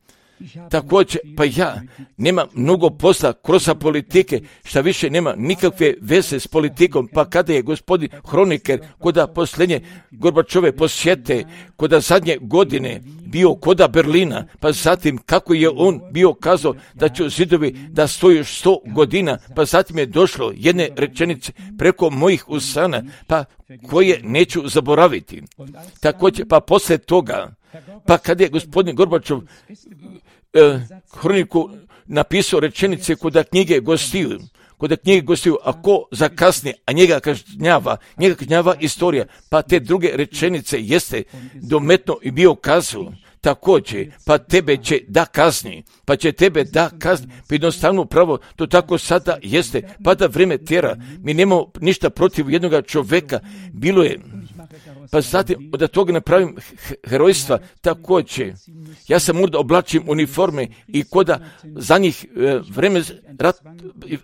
S1: Također, pa ja nema mnogo posla kroz politike, šta više nema nikakve veze s politikom, pa kada je gospodin Hroniker kod posljednje Gorbačove posjete, kod zadnje godine bio kod Berlina, pa zatim kako je on bio kazao da će zidovi da stoju 100 godina, pa zatim je došlo jedne rečenice preko mojih usana, pa koje neću zaboraviti. Također, pa poslije toga, pa kad je gospodin Gorbačov Hroniku napisao rečenice kod knjige gostiju, a ko zakasni, a njega kažnjava istorija, pa te druge rečenice jeste dometno i bio kazao. Također, pa tebe će da kazni, pa jednostavno pravo, to tako sada jeste, pa da vrijeme tjera, mi nemamo ništa protiv jednoga čovjeka, bilo je, pa zatim da toga napravim herojstva, također, ja sam možda oblačim uniforme i koda za njih vreme,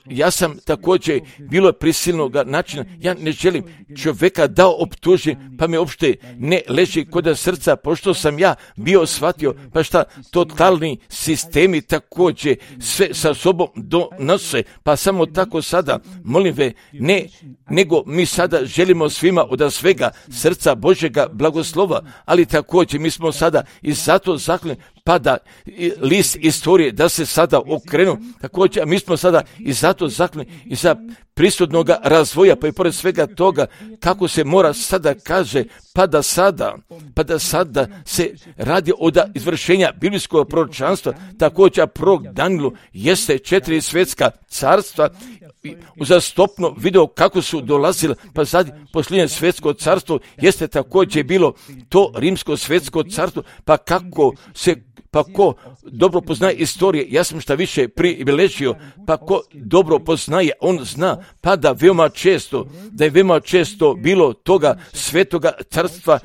S1: ja sam također bilo prisilnog načina, ja ne želim čovjeka da optužim, pa mi uopšte ne leži kod srca, pošto sam ja bio shvatio, pa šta totalni sistemi također sve sa sobom donose, pa samo tako sada, molim ve, ne, nego mi sada želimo svima od svega srca Božjega blagoslova, ali također mi smo sada i zato zaključeni, pa da list istorije da se sada okrenu, također, a mi smo sada i zato zaključeni i za prisutnog razvoja, pa i pored svega toga, kako se mora sada kaže, pa da sada se radi od izvršenja biblijskog proročanstva, također prorok Danielu jeste 4 svjetska carstva, uzastopno video kako su dolazile, pa sad posljednje svjetsko carstvo jeste također bilo to rimsko svjetsko carstvo, pa ko dobro poznaje istorije, ja sam šta više pribilježio, pa ko dobro poznaje, on zna, pa da je veoma često bilo toga svetoga carstva,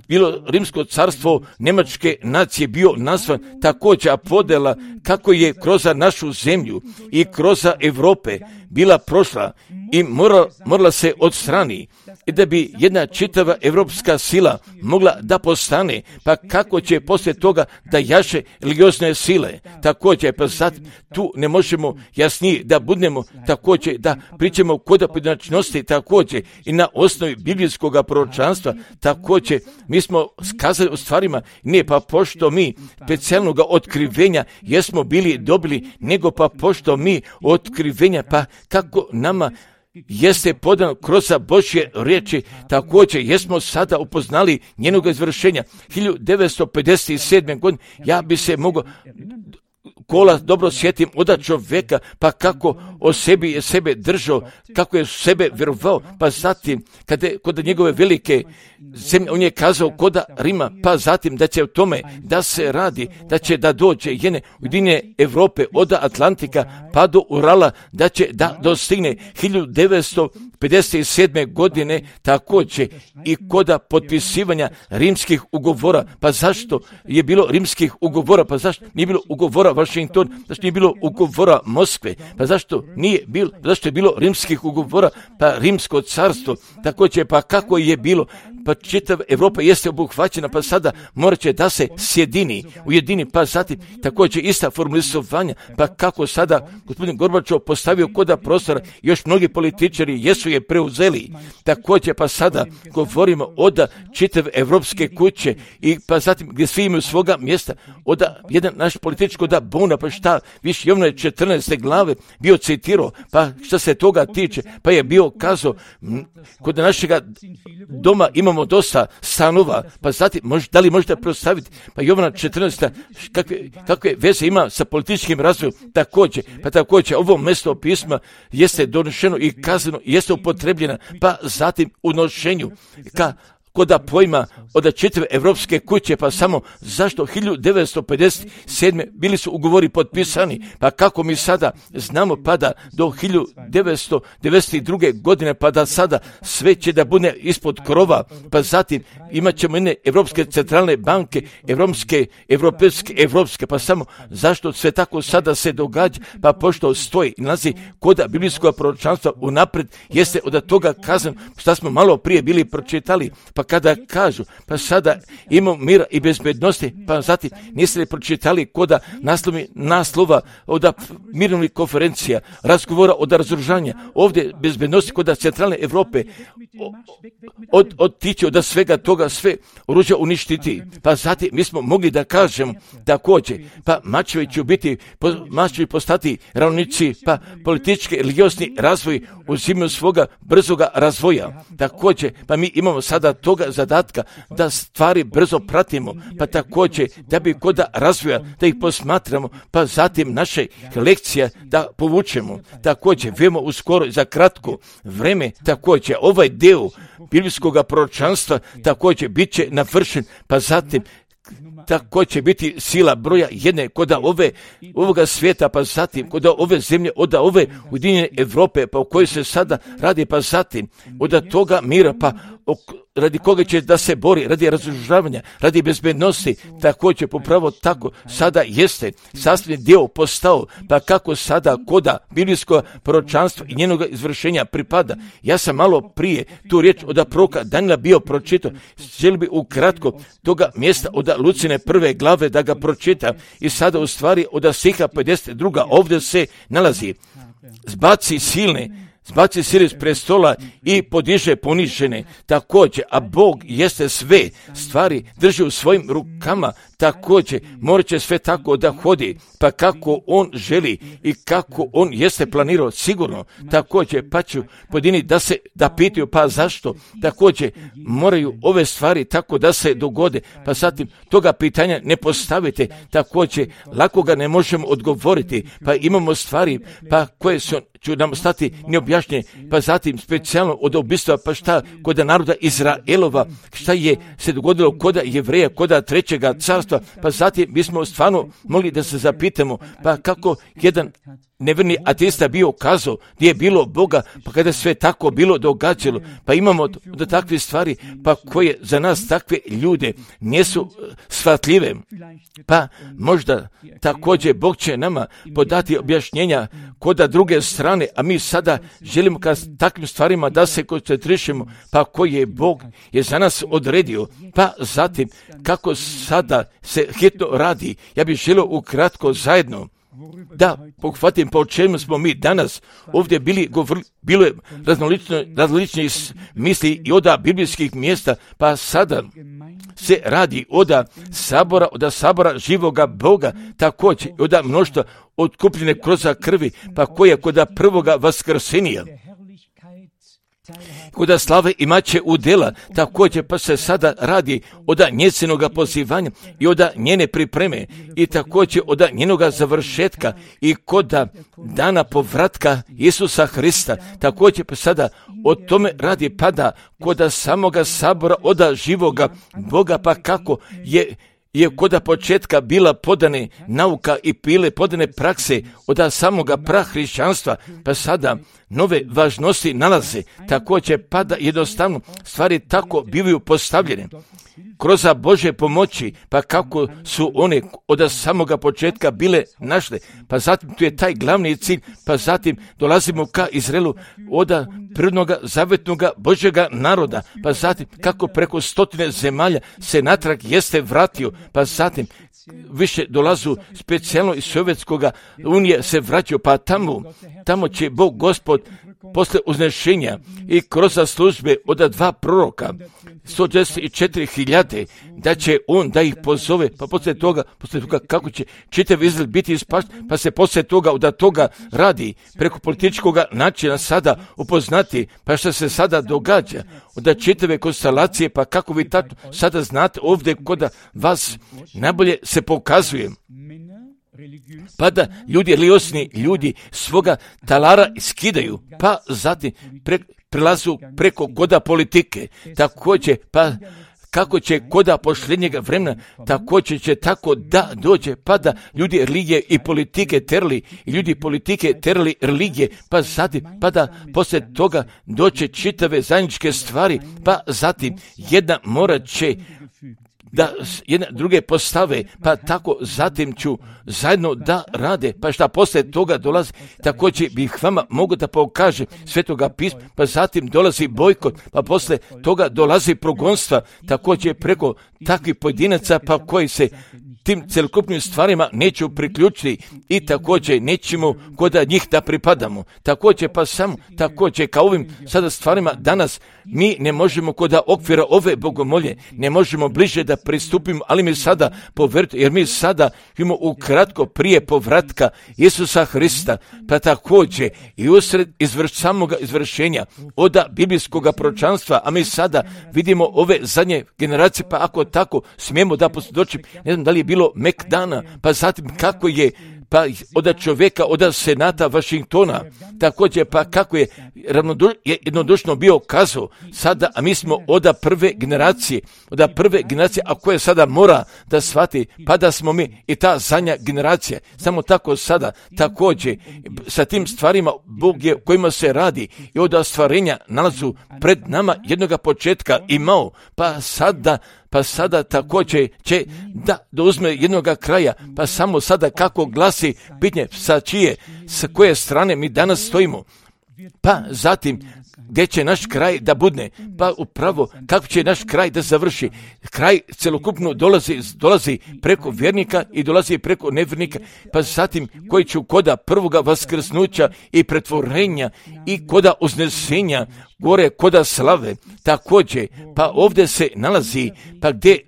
S1: bilo rimsko carstvo Njemačke nacije bio nazvan također podela kako je kroz našu zemlju i kroz Europe bila prošla i morala se odstrani i da bi jedna čitava evropska sila mogla da postane, pa kako će poslije toga da jaše religiozne sile. Također, pa sad tu ne možemo jasnije da budemo, također da pričamo kod pojedinačnosti, također i na osnovi biblijskog proročanstva, također mi smo skazali o stvarima, ne pa pošto mi specijalnog otkrivenja jesmo bili dobili, nego pa pošto mi otkrivenja, pa kako nama jeste podano kroz Božje riječi, također jesmo sada upoznali njenog izvršenja. 1957. godine ja bi se mogao kola dobro sjetim od čovjeka, pa kako o sebi je sebe držao, kako je sebe vjerovao, pa zatim kod njegove velike zemlje, on je kazao kod Rima, pa zatim da će o tome da se radi, da će da dođe jedne ujedinjene Europe od Atlantika pa do Urala, da će da dostigne 1957. godine također i kod potpisivanja rimskih ugovora. Pa zašto je bilo rimskih ugovora? Pa zašto nije bilo ugovora Washington? Zašto nije bilo ugovora Moskve? Pa zašto je bilo rimskih ugovora? Pa rimsko carstvo također, pa kako je bilo? Pa čitava Evropa jeste obuhvaćena, pa sada morat će da se ujedini, pa zatim također ista formulisovanja, pa kako sada gospodin Gorbačov postavio koda prostora, još mnogi političari jesu je preuzeli, također pa sada govorimo od čitave evropske kuće i pa zatim gdje svi imaju svoga mjesta, od jedan naš političko da bon Faraona, pa šta, više Jovana 14. glave bio citirao, pa šta se toga tiče, pa je bio kazao, kod našega doma imamo dosta stanova, pa znate, da li možete prostaviti, pa Jovana 14. kakve veze ima sa političkim razvojem, također ovo mjesto pisma jeste donešeno i kazano, jeste upotrebljena, pa zatim u nošenju, koda pojma od četiri evropske kuće, pa samo zašto 1957. bili su ugovori potpisani, pa kako mi sada znamo pa da do 1992. godine, pa da sada sve će da bude ispod krova, pa zatim imat ćemo jedne evropske centralne banke, evropske, pa samo zašto sve tako sada se događa, pa pošto stoji i nalazi koda biblijskog proročanstva unapred, jeste od toga kazan, šta smo malo prije bili pročitali, pa kada kažu, pa sada imamo mira i bezbednosti, pa zatim niste li pročitali koda naslova od mirovnih konferencija, razgovora od razoružanja, ovdje bezbednosti koda centralne Evrope, otići od svega toga, sve oružja uništiti, pa zatim mi smo mogli da kažemo također, pa mačevi će postati ravnici, pa politički religiozni razvoj uzimaju svoga brzoga razvoja, također, pa mi imamo sada toga zadatka da stvari brzo pratimo, pa također da bi koda razvoja, da ih posmatramo, pa zatim naše lekcije da povučemo, također vemo uskoro za kratko vreme, također ovaj deo biblijskog proročanstva također bit će navršen, pa zatim tako će biti sila broja jedne koda ovoga svijeta, pa zatim koda ove zemlje, od ove ujedinjene Evrope, pa u kojoj se sada radi, pa zatim od toga mira, pa radi koga će da se bori, radi razoružavanja, radi bezbednosti, također popravo tako sada jeste sastavni dio postao, pa kako sada koda biblijskog proročanstva i njenog izvršenja pripada. Ja sam malo prije tu riječ od proroka Danila bio pročitao, želim bi ukratko toga mjesta od Lucine prve glave da ga pročita i sada u stvari od stiha 52. ovdje se nalazi, zbaci sile s prestola i podiže ponižene, također, a Bog jeste sve stvari drži u svojim rukama, također, morat će sve tako da hodi, pa kako on želi i kako on jeste planirao, sigurno, također, pa ću pojedini da pitaju, pa zašto, također, moraju ove stvari tako da se dogode, pa zatim toga pitanja ne postavite, također, lako ga ne možemo odgovoriti, pa imamo stvari, pa koje ću nam stati neobjašnjene, pa zatim specijalno od ubistva, pa šta kod naroda Izraelova, šta je se dogodilo kod Jevreja, kod trećega carstva, pa zatim bismo stvarno mogli da se zapitamo, pa kako jedan neverni ateista bio kazao gdje je bilo Boga, pa kada sve tako bilo događalo, pa imamo da takve stvari, pa koje za nas takve ljude nisu shvatljive, pa možda također Bog će nama podati objašnjenja koda druge strane, a mi sada želimo ka takvim stvarima da se koncentrišemo, pa koji je Bog je za nas odredio, pa zatim kako sada se hitno radi, ja bih želio ukratko zajedno da pohvatim po čemu smo mi danas ovdje bilo je različnih misli i od biblijskih mjesta, pa sada se radi od sabora živoga Boga, također od mnoštva otkupljene kroz krvi, pa koja kod prvoga vaskrsenija, kod slave imaće udjela, također pa se sada radi od njezinoga pozivanja i od njene pripreme i također od njenoga završetka i kod dana povratka Isusa Hrista, također pa sada o tome radi pada kod samoga sabora od živoga Boga, pa kako je kod početka bila podane nauka i bile podane prakse od samoga prahrišćanstva, pa sada nove važnosti nalaze, također pada jednostavno stvari tako bivaju postavljene kroz Bože pomoći, pa kako su one od samoga početka bile našle, pa zatim tu je taj glavni cilj, pa zatim dolazimo ka Izraelu od prirodnog zavetnog Božjega naroda, pa zatim kako preko 100 zemalja se natrag jeste vratio, pa zatim više dolazu specijalno iz Sovjetskoga unije se vraćaju, pa tamo će Bog Gospod posle uznešenja i kroz službe od 2 proroka, 144.000, da će on da ih pozove, pa poslije toga kako će čitav Izrael biti ispašten, pa se poslije toga od toga radi preko političkog načina sada upoznati, pa što se sada događa, od čitave konstelacije, pa kako vi sada znate ovdje kod vas najbolje se pokazuje. Pa da ljudi religiosni ljudi svoga talara skidaju, pa zatim prelazu preko koda politike. Također, pa kako će koda posljednjega vremena, također će tako da dođe, pa da ljudi religije i politike terali, i ljudi politike terali religije, pa zatim, pa da poslije toga doće čitave zajedničke stvari, pa zatim jedna morat će da jedne druge postave, pa tako zatim ću zajedno da rade, pa šta poslije toga dolazi, također bih vama mogu da pokaže Svetoga pisma, pa zatim dolazi bojkot, pa poslije toga dolazi progonstva, također preko takvih pojedinaca, pa koji se tim celokupnim stvarima neću priključiti i također nećemo kod njih da pripadamo. Također pa samo, također kao ovim sada stvarima danas mi ne možemo kod okvira ove bogomolje, ne možemo bliže da pristupimo, ali mi sada poverujte, jer mi sada imamo ukratko prije povratka Isusa Hrista, pa također i usred samoga izvršenja od biblijskog proročanstva, a mi sada vidimo ove zadnje generacije, pa ako tako smijemo da posvjedočim, ne znam da li je bilo Mekdana, pa zatim kako je pa od čovjeka, od senata Vašingtona, također pa kako je jednodušno bio kazao sada, a mi smo od prve generacije, a koje sada mora da shvati, pa da smo mi i ta zadnja generacija, samo tako sada, također sa tim stvarima Bog je kojima se radi i od stvarenja nalazu pred nama jednoga početka imao, pa sada također će da uzme jednoga kraja, pa samo sada kako glasi pitanje sa koje strane mi danas stojimo, pa zatim gdje će naš kraj da budne, pa upravo kako će naš kraj da završi. Kraj celokupno dolazi preko vjernika i dolazi preko nevjernika, pa zatim koji će koda prvoga vaskrsnuća i pretvorenja i koda uznesenja, gore koda slave, također, pa ovdje se nalazi, pa gdje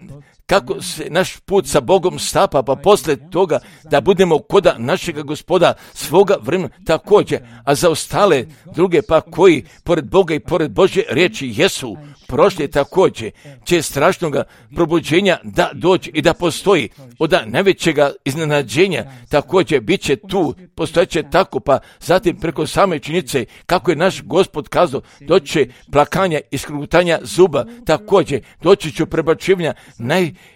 S1: kako se naš put sa Bogom stapa, pa poslije toga da budemo koda našega Gospoda svoga vremena također, a za ostale druge pa koji pored Boga i pored Božje riječi jesu prošli, također će strašnoga probuđenja da dođe i da postoji od najvećega iznenađenja, također bit će tu, postojeće tako, pa zatim preko same činjenice kako je naš Gospod kazao, doći će plakanja i skrutanja zuba, također doći će prebačivanja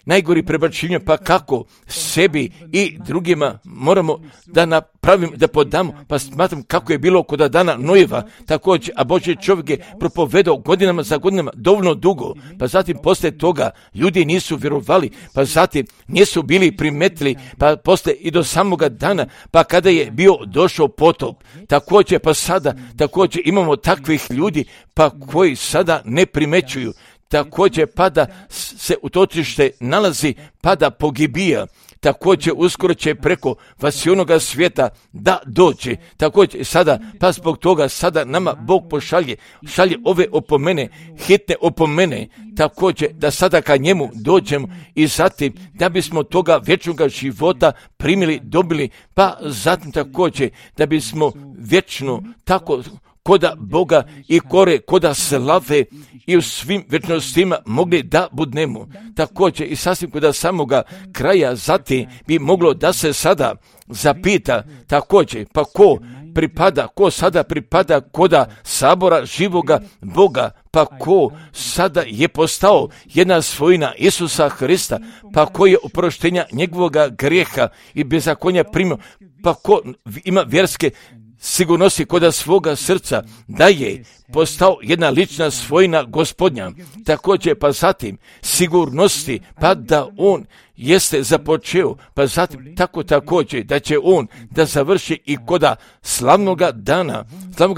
S1: najgori prebačivanja, pa kako sebi i drugima moramo da napravimo, da podamo, pa smatram kako je bilo kod dana Nojeva, također, a Božji čovjek je propovedao godinama za godinama dovoljno dugo, pa zatim poslije toga ljudi nisu vjerovali, pa zatim nisu bili primetili, pa poslije i do samoga dana, pa kada je bio došao potop, također pa sada, također imamo takvih ljudi, pa koji sada ne primećuju, također pa da se utočište nalazi, pa da pogibija, također uskoro će preko vasionoga svijeta da dođe, također sada, pa zbog toga sada nama Bog šalje ove opomene, hitne opomene, također da sada ka njemu dođemo i zatim da bismo toga vječnog života primili, dobili, pa zatim također da bismo vječno tako koda Boga i koda slave i u svim vječnostima mogli da budnemo. Također i sasvim koda samoga kraja zatim bi moglo da se sada zapita također, pa ko sada pripada koda sabora živoga Boga, pa ko sada je postao jedna svojina Isusa Hrista, pa ko je oproštenja njegovoga grijeha i bezakonja primio, pa ko ima vjerske sigurnosti koda svoga srca da je postao jedna lična svojina Gospodnja, također pa zatim sigurnosti pa da on jeste započeo, pa zatim tako također da će on da završi i koda slavnoga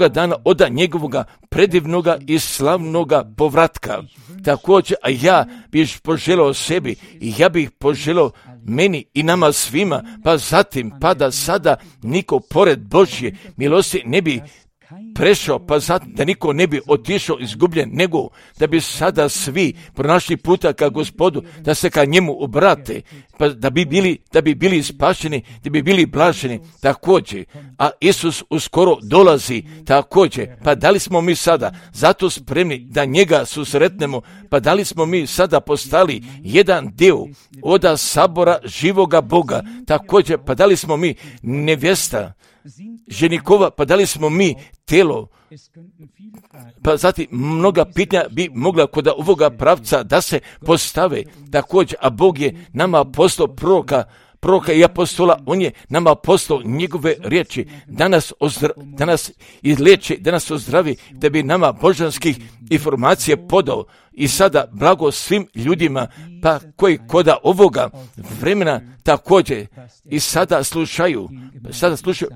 S1: dana od njegovoga predivnoga i slavnoga povratka. Također, a ja bih poželao sebi i ja bih poželao meni i nama svima, pa zatim pa da sada niko pored Božje milosti ne bi prešao, pa zato da niko ne bi otišao izgubljen, nego da bi sada svi pronašli puta ka Gospodu, da se ka njemu obrate, pa da bi bili spašeni, da bi bili blaženi također. A Isus uskoro dolazi također. Pa da li smo mi sada zato spremni da njega susretnemo? Pa da li smo mi sada postali jedan dio oda sabora živoga Boga također? Pa da li smo mi nevjesta ženikova? Pa da li smo mi telo? Pa zatim mnoga pitanja bi mogla kod ovoga pravca da se postave također, a Bog je nama poslao proroka i apostola, on je nama poslao njegove riječi, da nas izliječi, da nas ozdravi, da bi nama božanskih informacije podao. I sada blago svim ljudima pa koji koda ovoga vremena također i sada slušaju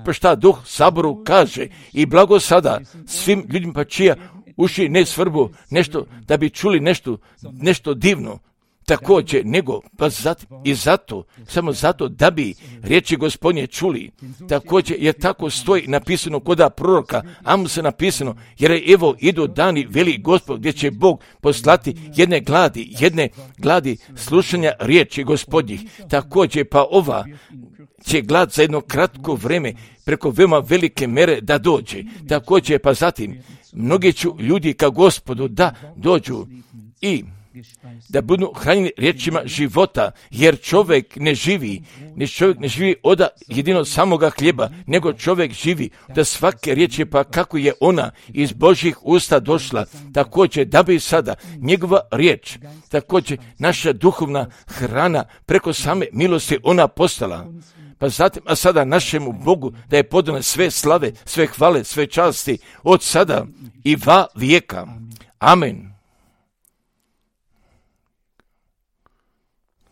S1: pa šta Duh Saboru kaže, i blago sada svim ljudima pa čija uši ne svrbu nešto da bi čuli nešto divno također, nego pa samo zato da bi riječi Gospodnje čuli. Također je tako stoji napisano koda proroka Amosa napisano, jer evo idu dani, veli Gospod, gdje će Bog poslati jedne gladi slušanja riječi Gospodnjih. Također pa ova će glad za jedno kratko vrijeme preko veoma velike mere da dođe. Također pa zatim mnogi će ljudi ka Gospodu da dođu i da budu hranjeni riječima života, jer čovjek ne živi od jedino samoga hljeba, nego čovjek živi da svake riječi, pa kako je ona iz Božjih usta došla. Također da bi sada njegova riječ, također naša duhovna hrana preko same milosti ona postala. Pa zatim, a sada našemu Bogu da je podano sve slave, sve hvale, sve časti od sada i va vijeka. Amen.